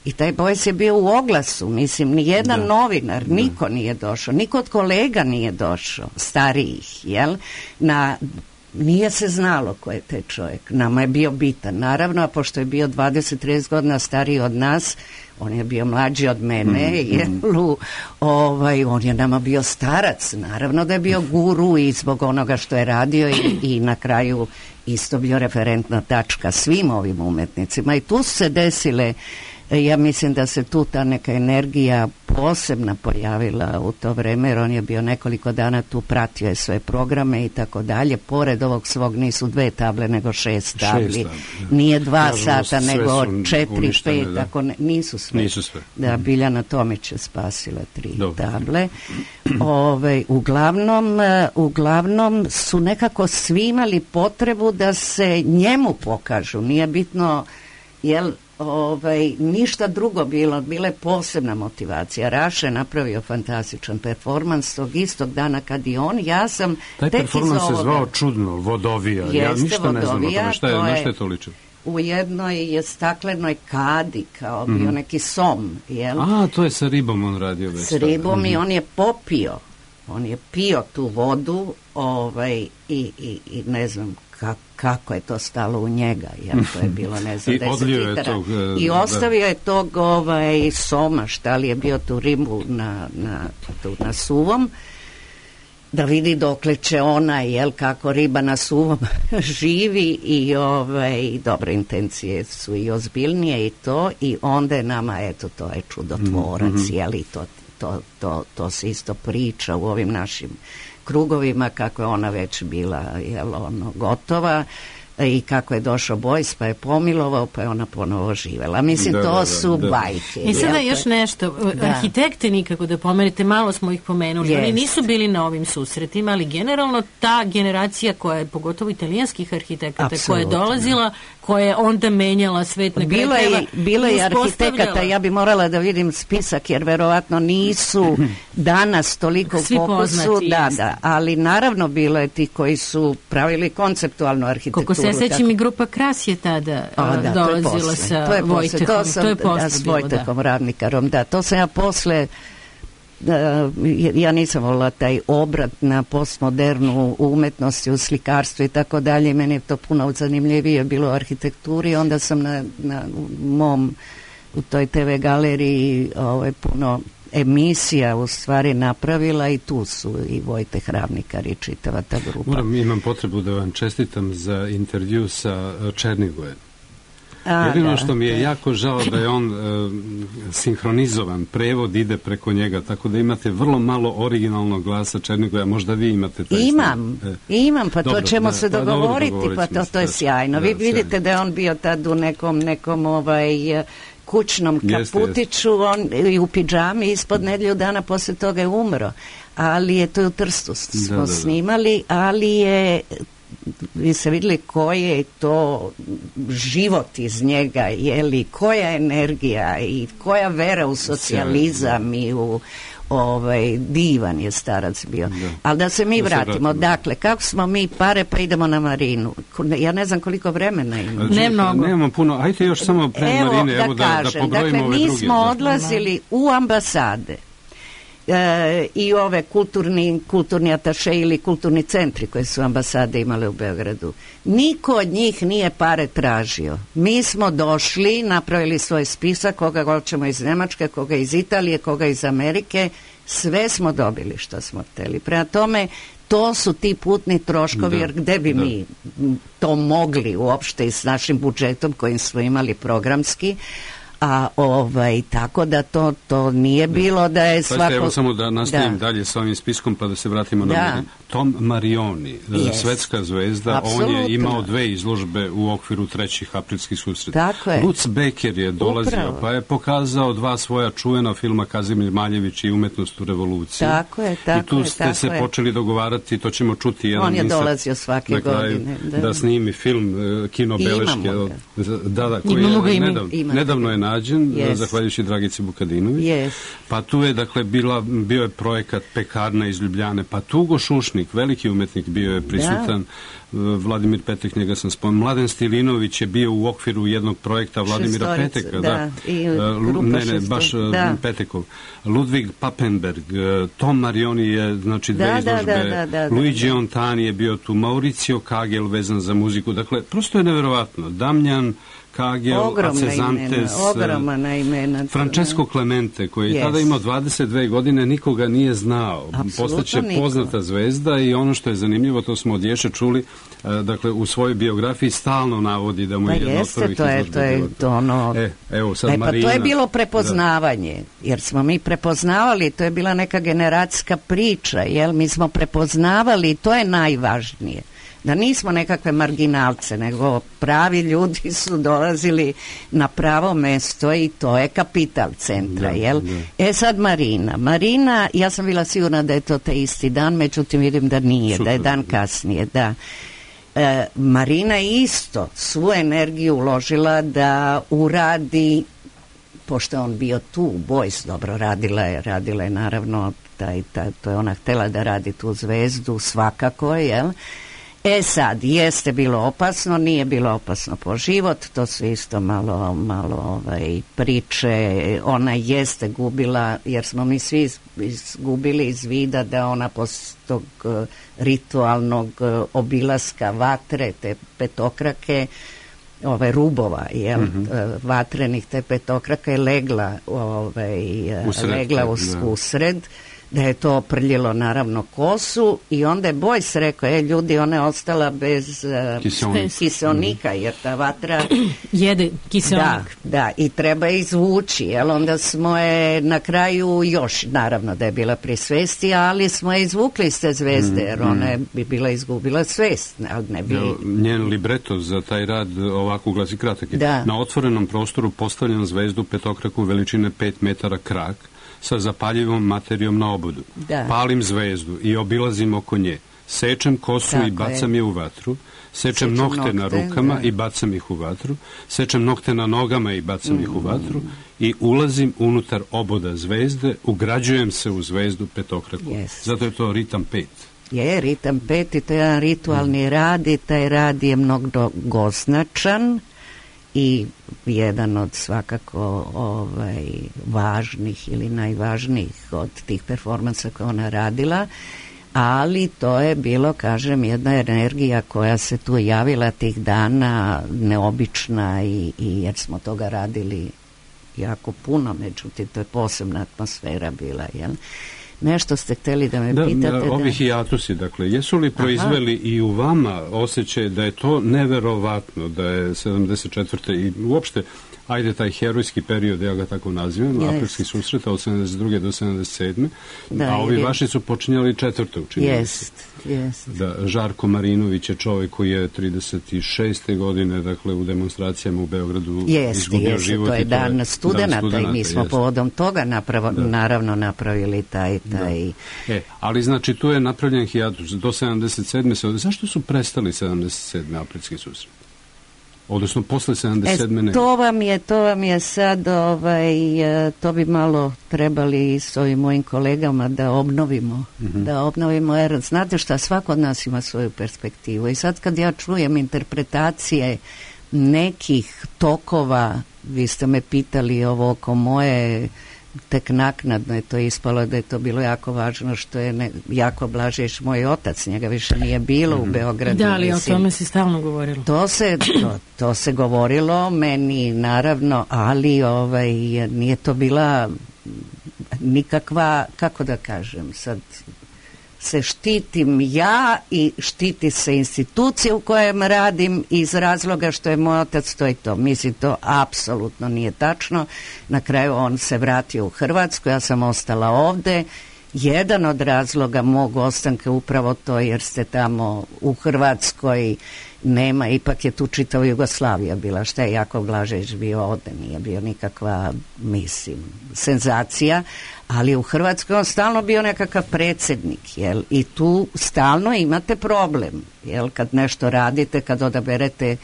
I taj Bojs je bio u oglasu, mislim, nijedan da. novinar, niko da. nije došao, niko od kolega nije došao, starijih, jel? Na, nije se znalo ko je taj čovjek, nama je bio bitan, naravno, a pošto je bio dvadeset do trideset godina stariji od nas, on je bio mlađi od mene, mm, jel, mm. ovaj, on je nama bio starac, naravno da je bio guru i zbog onoga što je radio i, i na kraju isto bio referentna tačka svim ovim umetnicima i tu su se desile. Ja mislim da se tu ta neka energija posebno pojavila u to vreme, jer on je bio nekoliko dana tu, pratio je sve programe i tako dalje. Pored ovog svog nisu dve table, nego šest tabli. Šest tabli, nije dva Kažemo, sata, nego četiri, pet, da. Tako ne, nisu sve. Nisu sve. Da, Biljana Tomić je spasila tri Dobre. table. Ove, uglavnom, uglavnom su nekako svi imali potrebu da se njemu pokažu. Nije bitno, jel, Ovaj, ništa drugo bilo, bila je posebna motivacija. Raša je napravio fantastičan performans tog istog dana kad i on, ja sam taj tek performans se zvao čudno, Vodovija. Jeste, ja ništa Vodovija, ne znam o tome, šta je, na šta je to ličilo? U jednoj je staklenoj kadi kao bio mm-hmm. neki som, jel? A, to je sa ribom on radio već. S ribom mm-hmm. i on je popio, on je pio tu vodu, ovaj, i, i, i ne znam kako kako je to stalo u njega, jer to je bilo, ne znam, deset litara. I ostavio da. je tog ovaj, soma, šta li je bio tu ribu na, na, tu na suvom, da vidi dokle će ona, jel, kako riba na suvom živi i ovaj, dobre intencije su i ozbiljnije i to, i onda je nama, eto, to je čudotvorac, mm-hmm. jel, i to, to, to, to se isto priča u ovim našim krugovima, kako je ona već bila, jel, ono, gotova i kako je došao Bojs pa je pomilovao pa je ona ponovo živela. Mislim, da, to da, su da. bajke. I sada još nešto, da. arhitekte nikako da pomenete, malo smo ih pomenuli, yes. oni nisu bili na ovim susretima, ali generalno ta generacija koja je, pogotovo italijanskih arhitekata, Absolutno. koja je dolazila, koja je onda menjala svet na bilo je, bilo je arhitekata, ja bi morala da vidim spisak, jer verovatno nisu danas toliko Svi fokusu, poznati, da, da, ali naravno bilo je ti koji su pravili konceptualnu arhitekturu. Koliko se sećam, i grupa Kras je tada o, da, dolazila sa to je Vojtehom. To, sam, to je posle da, s Vojtehom, da. Ravnikarom, da, to sam ja posle, da, ja nisam volila taj obrat na postmodernu umetnosti, u slikarstvu i tako dalje, meni je to puno zanimljivije bilo u arhitekturi, onda sam na, na mom, u toj te ve galeriji ovaj, puno emisija u stvari napravila i tu su i Vojteh Ravnikar i čitava ta grupa. Moram, imam potrebu da vam čestitam za intervju sa Černigojem. A, Jedino da, što mi je da. jako žao da je on e, sinhronizovan, prevod ide preko njega, tako da imate vrlo malo originalnog glasa Černigoja, možda vi imate taj Imam, stil. E. imam, pa Dobro, to ćemo da, se pa dobro, dogovoriti, dogovorit pa ćemo to, se, to je da, sjajno. da, Vi vidite sjajno. da je on bio tad u nekom, nekom ovaj, kućnom Jeste, kaputiću, on i u pidžami, ispod nedjelju dana poslije toga je umro. Ali je to je u Trstu smo Da, da, da. snimali, ali je, vi ste vidjeli koji je to život iz njega, je li, koja energija i koja vera u socijalizam i u ovaj, divan je starac bio. Da. Ali da se mi Da se vratimo, vratimo. dakle, kako smo mi pare, pa idemo na Marinu. Ja ne znam koliko vremena ima. Ne mnogo. Nemamo puno, ajte još samo pre Evo, Marine, da evo da, da kažem, pobrojimo dakle, ove mi druge. smo da. odlazili u ambasade e, i ove kulturni, kulturni ataše ili kulturni centri koje su ambasade imale u Beogradu. Niko od njih nije pare tražio. Mi smo došli, napravili svoj spisak, koga hoćemo iz Nemačke, koga iz Italije, koga iz Amerike, sve smo dobili što smo hteli. Prema tome, to su ti putni troškovi, Da, jer gde bi da. mi to mogli uopšte i s našim budžetom kojim smo imali programski, a ovaj, tako da to, to nije bilo da je Pazite, svako... evo samo da nastavim Da. dalje sa ovim spiskom pa da se vratimo na Da. Marinu. Tom Marioni, Yes. svetska zvezda, on Apsolutno. je imao dve izložbe u okviru trećih aprilskih susreta. Tako je. Lutz Becker je dolazio, Upravo. pa je pokazao dva svoja čuvena filma Kazimir Maljević i Umetnost u revoluciji. Tako je, tako I tu je, ste tako se je. počeli dogovarati, to ćemo čuti jedan On je insert dolazio svake na kraju, godine, Da. da. snimi film e, Kino Imamo beleške. ga. od- Da, da, koji Imamo ga je i mi. nedavno, Imate nedavno ga. je nađen, Yes. zahvaljujući Dragici Vukadinović. Yes. Pa tu je, dakle, bila, bio je projekat Pekarna iz Ljubljane, pa Tugo Šušnik, veliki umetnik, bio je prisutan, Vladimir Petek, njega sam spomenuo, Mladen Stilinović je bio u okviru jednog projekta Vladimira Šestorica, Peteka, da, i E, Lu- grupa ne, ne, šestorica, baš e, da. Petekov, Ludvig Papenberg, e, Tom Marioni je, znači, dve Da, da, izložbe, da, da, da, da, Luigi da. Ontani je bio tu, Mauricio Kagel vezan za muziku, dakle, prosto je neverovatno, Damjan Kagel, Ogromna Acezantes, imena, ogromna imena. Francesco Clemente, koji je Yes. tada imao dvadeset dve godine, nikoga nije znao. Apsolutno Postaće niko. poznata zvezda i ono što je zanimljivo, to smo od Ješe čuli, e, dakle, u svojoj biografiji stalno navodi da mu Pa je jedna od jeste, prvih to je, izložbi to je bila to ono... E, evo sad E, pa Marina. to je bilo prepoznavanje, jer smo mi prepoznavali, to je bila neka generacijska priča, jel? Mi smo prepoznavali i to je najvažnije. Da nismo nekakve marginalce, nego pravi ljudi su dolazili na pravo mesto i to je kapital centra, Da, jel? da. E sad Marina. Marina, ja sam bila sigurna da je to taj isti dan, međutim vidim da nije, da je Super. dan kasnije, da. E, Marina je isto svu energiju uložila da uradi, pošto je on bio tu, Bojs dobro radila je, radila je naravno, taj, taj, to je ona htjela da radi tu zvezdu, svakako, jel? E sad, jeste bilo opasno, nije bilo opasno po život, to su isto malo, malo ovaj, priče, ona jeste gubila, jer smo mi svi iz- izgubili iz vida da ona posle tog eh, ritualnog eh, obilaska vatre, te petokrake, ove rubova, jel, eh, vatrenih te petokrake je legla, ovaj, eh, Usred, legla u, da. usred, da je to prljilo naravno kosu i onda je Bojs rekao, e ljudi, ona je ostala bez uh, Kiseonik. kiseonika, jer ta vatra Jede da, kiseonik. da, i treba je izvući, jel, onda smo je na kraju još, naravno da je bila pri svesti, ali smo je izvukli iz te zvezde, jer ona je bi bila izgubila svest, ali ne bi... Evo, njen libreto za taj rad ovako glasi, kratak je. Da. Na otvorenom prostoru postavljam zvezdu petokraku veličine pet metara krak sa zapaljivom materijom na obodu. Da. Palim zvezdu i obilazim oko nje. Sečem kosu Tako i bacam je. je u vatru. Sečem, Sečem nokte, na nokte, rukama da. i bacam ih u vatru. Sečem nokte na nogama i bacam ih u vatru. I ulazim unutar oboda zvezde, ugrađujem se u zvezdu petokraku. Yes. Zato je to ritam pet. Je, ritam peti, to je jedan ritualni rad i taj rad je mnogo goznačan i jedan od svakako ovaj, važnih ili najvažnijih od tih performansa koje ona radila, ali to je bilo, kažem, jedna energija koja se tu javila tih dana, neobična i, i jer smo toga radili jako puno, međutim to je posebna atmosfera bila, jel? Nešto ste htjeli da me da, pitate. Da, ovi hijatusi, dakle, jesu li proizveli Aha. i u vama osjećaj da je to neverovatno, da je sedamdeset četvrte i uopšte, ajde, taj herojski period, ja ga tako nazivam, yes. aprilskih susreta od sedamdeset druge do sedamdeset sedme Da, a ovi je... vaši su počinjali četvrte učinili. Jest, jest. Da, Žarko Marinović je čovjek koji je trideset šeste godine, dakle, u demonstracijama u Beogradu jest, izgubio jest, život. To je dan, dan studenata i mi smo jest. povodom toga napravo, da. naravno napravili taj... taj... E, ali znači tu je napravljen hijatus do sedamdeset sedme Zašto su prestali sedamdeset sedme aprilski susret? Odnosno posle sedamdeset sedme E, to vam je, to vam je sad, ovaj, to bi malo trebali s ovim mojim kolegama da obnovimo, mm-hmm. da obnovimo, jer znate šta, svako od nas ima svoju perspektivu i sad kad ja čujem interpretacije nekih tokova, vi ste me pitali ovo oko moje, tek naknadno je to ispalo da je to bilo jako važno što je ne, Jako Blažić moj otac, njega više nije bilo mm-hmm. u Beogradu. Da, ali mislim, o tome se stalno govorilo. To se, to, to se govorilo, meni naravno, ali ovaj, nije to bila nikakva, kako da kažem, sad se štitim ja i štiti se institucija u kojem radim iz razloga što je moj otac to i to. Mislim, to apsolutno nije tačno. Na kraju on se vratio u Hrvatsku, ja sam ostala ovde. Jedan od razloga mog ostanka upravo to jer ste tamo u Hrvatskoj nema, ipak je tu čitava Jugoslavija bila, šta je Jako Blažić bio ovde, nije bio nikakva, mislim, senzacija, ali u Hrvatskoj on stalno bio nekakav predsjednik, jel, i tu stalno imate problem, jel, kad nešto radite, kad odaberete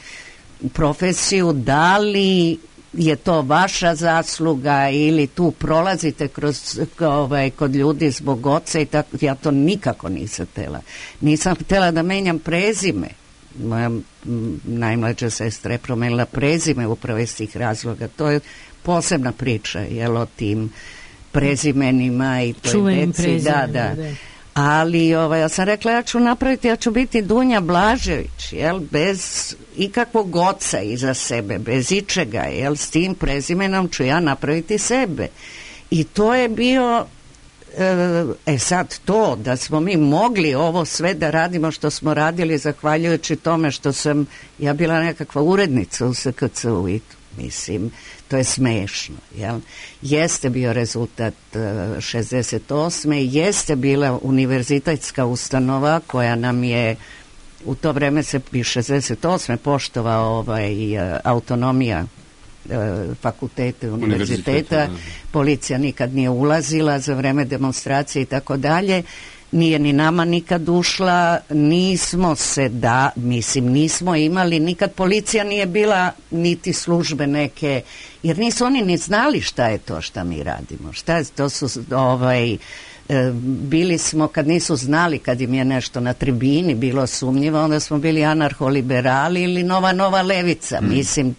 profesiju, da li je to vaša zasluga ili tu prolazite kroz, ovaj, kod ljudi zbog oca i tako, ja to nikako nisam htjela. Nisam htjela da menjam prezime. Moja najmlađa sestra je promenila prezime upravo iz tih razloga. To je posebna priča, jel, o tim prezimenima i toj čuvenim deci. Da, da. da. Ali ovaj, ja sam rekla, ja ću napraviti, ja ću biti Dunja Blažević, jel, bez ikakvog oca iza sebe, bez ičega, jel, s tim prezimenom ću ja napraviti sebe. I to je bio, e sad to, da smo mi mogli ovo sve da radimo što smo radili, zahvaljujući tome što sam, ja bila nekakva urednica u S K C U i mislim, to je smešno, jel? Jeste bio rezultat uh, šezdeset osme jeste bila univerzitetska ustanova koja nam je u to vreme se i šezdeset osme poštovao ovaj, uh, autonomija uh, fakultete, univerziteta, policija nikad nije ulazila za vreme demonstracije i tako dalje. Nije ni nama nikad ušla, nismo se da, mislim, nismo imali, nikad policija nije bila, niti službe neke, jer nisu oni ni znali šta je to šta mi radimo, šta je, to su, ovaj, e, bili smo, kad nisu znali, kad im je nešto na tribini bilo sumnjivo, onda smo bili anarholiberali ili nova, nova levica, mm. mislim,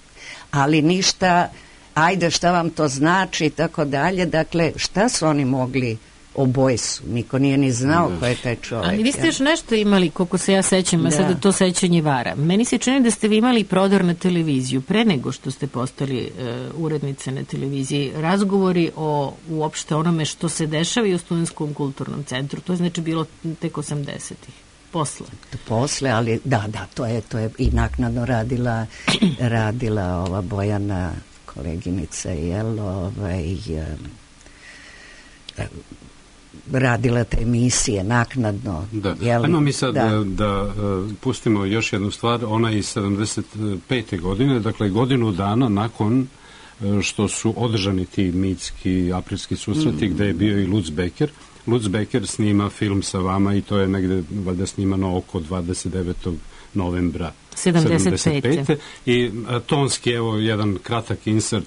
ali ništa, ajde šta vam to znači i tako dalje, dakle, šta su oni mogli oboje su, niko nije ni znao ko je taj čovjek. Ali vi ste još nešto imali, koliko se ja sećam, a sada to sećanje vara. Meni se čini da ste vi imali prodor na televiziju pre nego što ste postali uh, urednice na televiziji. Razgovori o uopšte onome što se dešava i u Studentskom kulturnom centru. To je znači bilo tek osamdesetih. Posle. Posle, ali da, da, to je, to je i naknadno radila radila ova Bojana koleginica, jel, ovaj um, radila te emisije naknadno. Da. Ajmo mi sad da, da, da uh, pustimo još jednu stvar, ona iz sedamdeset pete godine, dakle godinu dana nakon uh, što su održani ti mitski aprilski susreti, mm. gde je bio i Lutz Becker. Lutz Becker snima film sa vama i to je negde valjda snimano oko dvadeset devetog novembra sedamdeset pete I uh, tonski, evo jedan kratak insert.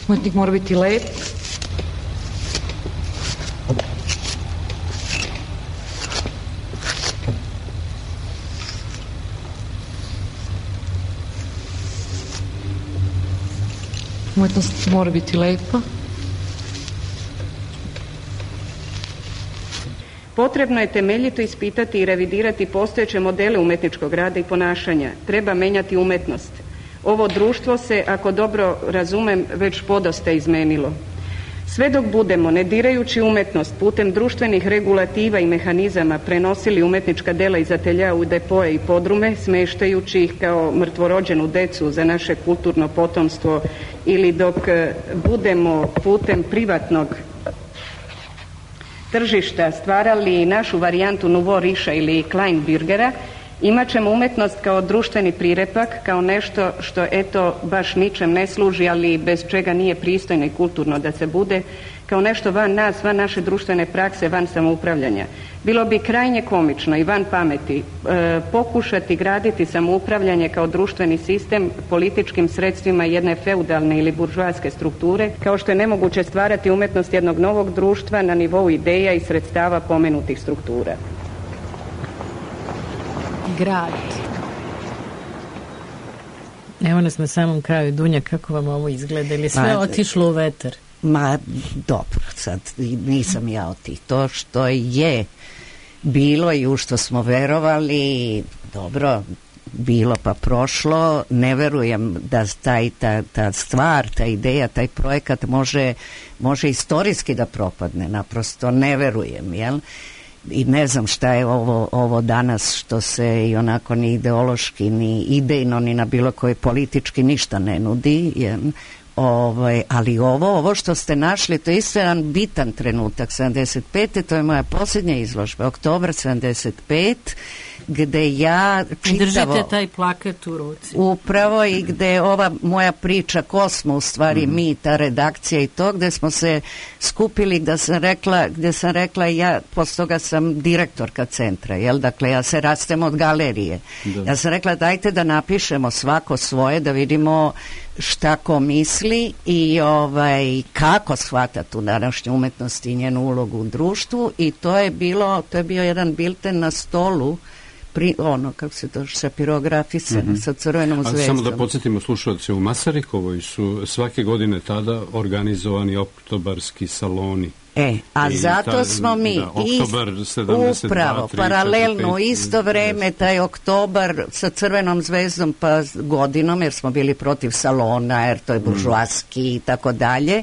Umetnik mora biti lep. Umetnost mora biti lepa. Potrebno je temeljito ispitati i revidirati postojeće modele umetničkog rada i ponašanja. Treba menjati umetnost. Ovo društvo se, ako dobro razumem, već podosta izmenilo. Sve dok budemo, ne dirajući umetnost, putem društvenih regulativa i mehanizama prenosili umetnička dela iz atelja u depoje i podrume, smeštajući ih kao mrtvorođenu decu za naše kulturno potomstvo, ili dok budemo putem privatnog tržišta stvarali našu varijantu Nouveau Richa ili Kleinbürgera, imat ćemo umetnost kao društveni prirepak, kao nešto što eto baš ničem ne služi, ali bez čega nije pristojno i kulturno da se bude, kao nešto van nas, van naše društvene prakse, van samoupravljanja. Bilo bi krajnje komično i van pameti e, pokušati graditi samoupravljanje kao društveni sistem političkim sredstvima jedne feudalne ili buržoaske strukture, kao što je nemoguće stvarati umetnost jednog novog društva na nivou ideja i sredstava pomenutih struktura. Grad. Evo nas na samom kraju. Dunja, kako vam ovo izgleda? Ili sve ma, otišlo u vetar? Ma, dobro, sad nisam ja od tih. To što je bilo i u što smo verovali, dobro, bilo pa prošlo, ne verujem da taj, ta, ta stvar, ta ideja, taj projekat može, može istorijski da propadne, naprosto ne verujem, jel? I ne znam šta je ovo, ovo danas što se i onako ni ideološki, ni idejno, ni na bilo koji politički ništa ne nudi, jel? Ovaj, ali ovo, ovo što ste našli, to je isto jedan bitan trenutak. sedamdeset pete to je moja posljednja izložba, oktobar sedamdeset pet, gde ja čitavo... Držite taj plakat u ruci. Upravo, i gde ova moja priča, ko smo u stvari mm. mi, ta redakcija i to, gde smo se skupili, gde sam rekla, gde sam rekla ja, posle toga sam direktorka centra, jel? Dakle, ja se rastem od galerije. Da. Ja sam rekla, dajte da napišemo svako svoje, da vidimo šta ko misli i ovaj, kako shvata tu današnju umetnost i njenu ulogu u društvu, i to je bilo, to je bio jedan bilten na stolu, pri, ono, kako se to šapirografisano, mm-hmm. sa crvenom zvezdom. A samo da podsjetimo slušalce, u Masarikovoj su svake godine tada organizovani oktobarski saloni. E, a I zato ta, smo mi da, oktobar sedamdeset dva, upravo, tri, paralelno, četiri, u isto vreme, taj oktobar sa crvenom zvezdom pa godinom, jer smo bili protiv salona, jer to je buržoaski i tako dalje.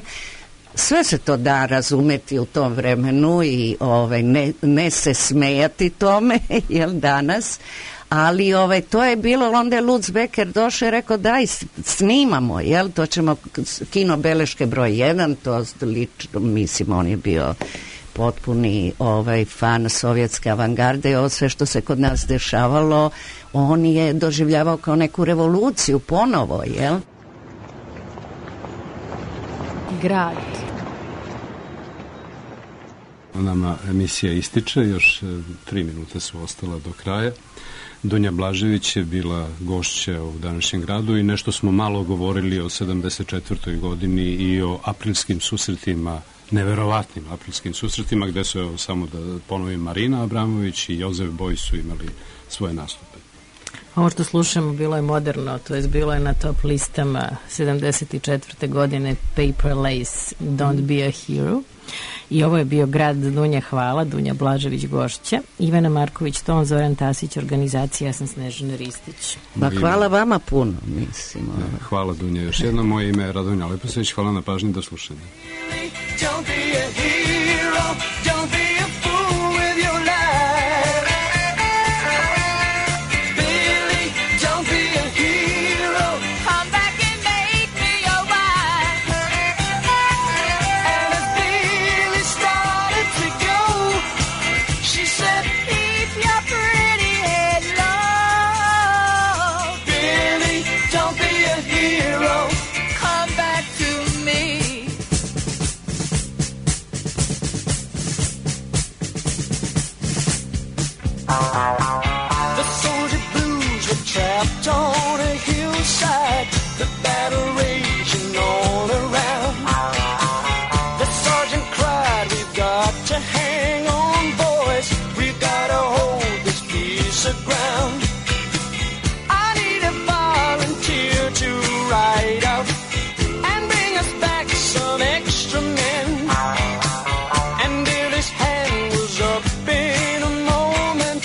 Sve se to da razumeti u tom vremenu i ovaj, ne, ne se smejati tome, jel danas, ali ovaj, to je bilo, onda je Lutz Becker došao i rekao daj snimamo, jel, to ćemo, kino beleške broj jedan, to lično, mislim, on je bio potpuni ovaj, fan sovjetske avangarde i ovo sve što se kod nas dešavalo, on je doživljavao kao neku revoluciju ponovo, jel? Grad. Nama emisija ističe, još tri minuta su ostala do kraja. Dunja Blažević je bila gošća u današnjem gradu i nešto smo malo govorili o sedamdeset četvrtoj godini i o aprilskim susretima, neverovatnim aprilskim susretima, gde su, evo, samo da ponovim, Marina Abramović i Jozef Boj su imali svoje nastupe. Ovo što slušamo bilo je moderno, to je bilo je na top listama sedamdeset četvrte godine, Paper Lace, Don't Be a Hero. I ovo je bio grad. Dunja, hvala. Dunja Blažević, gošća. Ivana Marković, ton, Zoran Tasić, organizacija, ja sam Snežana Ristić. Ba, hvala vama puno, mislim. Hvala, Dunja. Još jedno, moje ime je Radonja Leposević. Hvala na pažnji, do slušanja. Don't be a hero, don't be a fool with your life. Billy, don't be a hero, come back and make me your wife. And as Billy started to go, she said, keep your pretty head low. Billy, don't be a hero, come back to me. The soldier blues were trapped on a hillside, the battle raging all around. The sergeant cried, we've got to hang on, boys, we've got to hold this piece of ground. I need a volunteer to ride out and bring us back some extra men. And Billy's hand was up in a moment,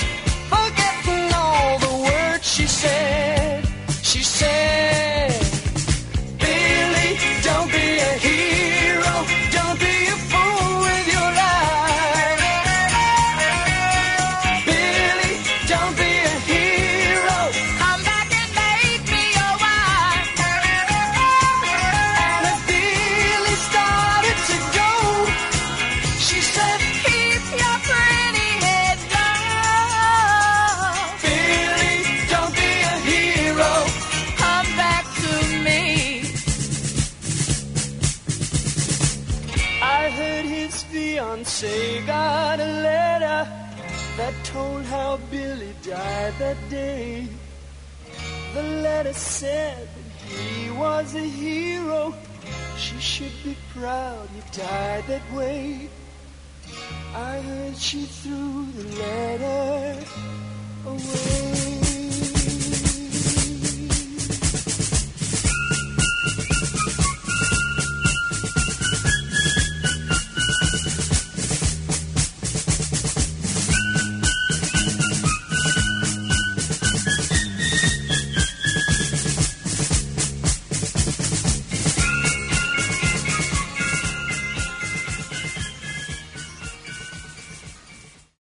say got a letter that told how Billy died that day. The letter said that he was a hero. She should be proud he died that way. I heard she threw the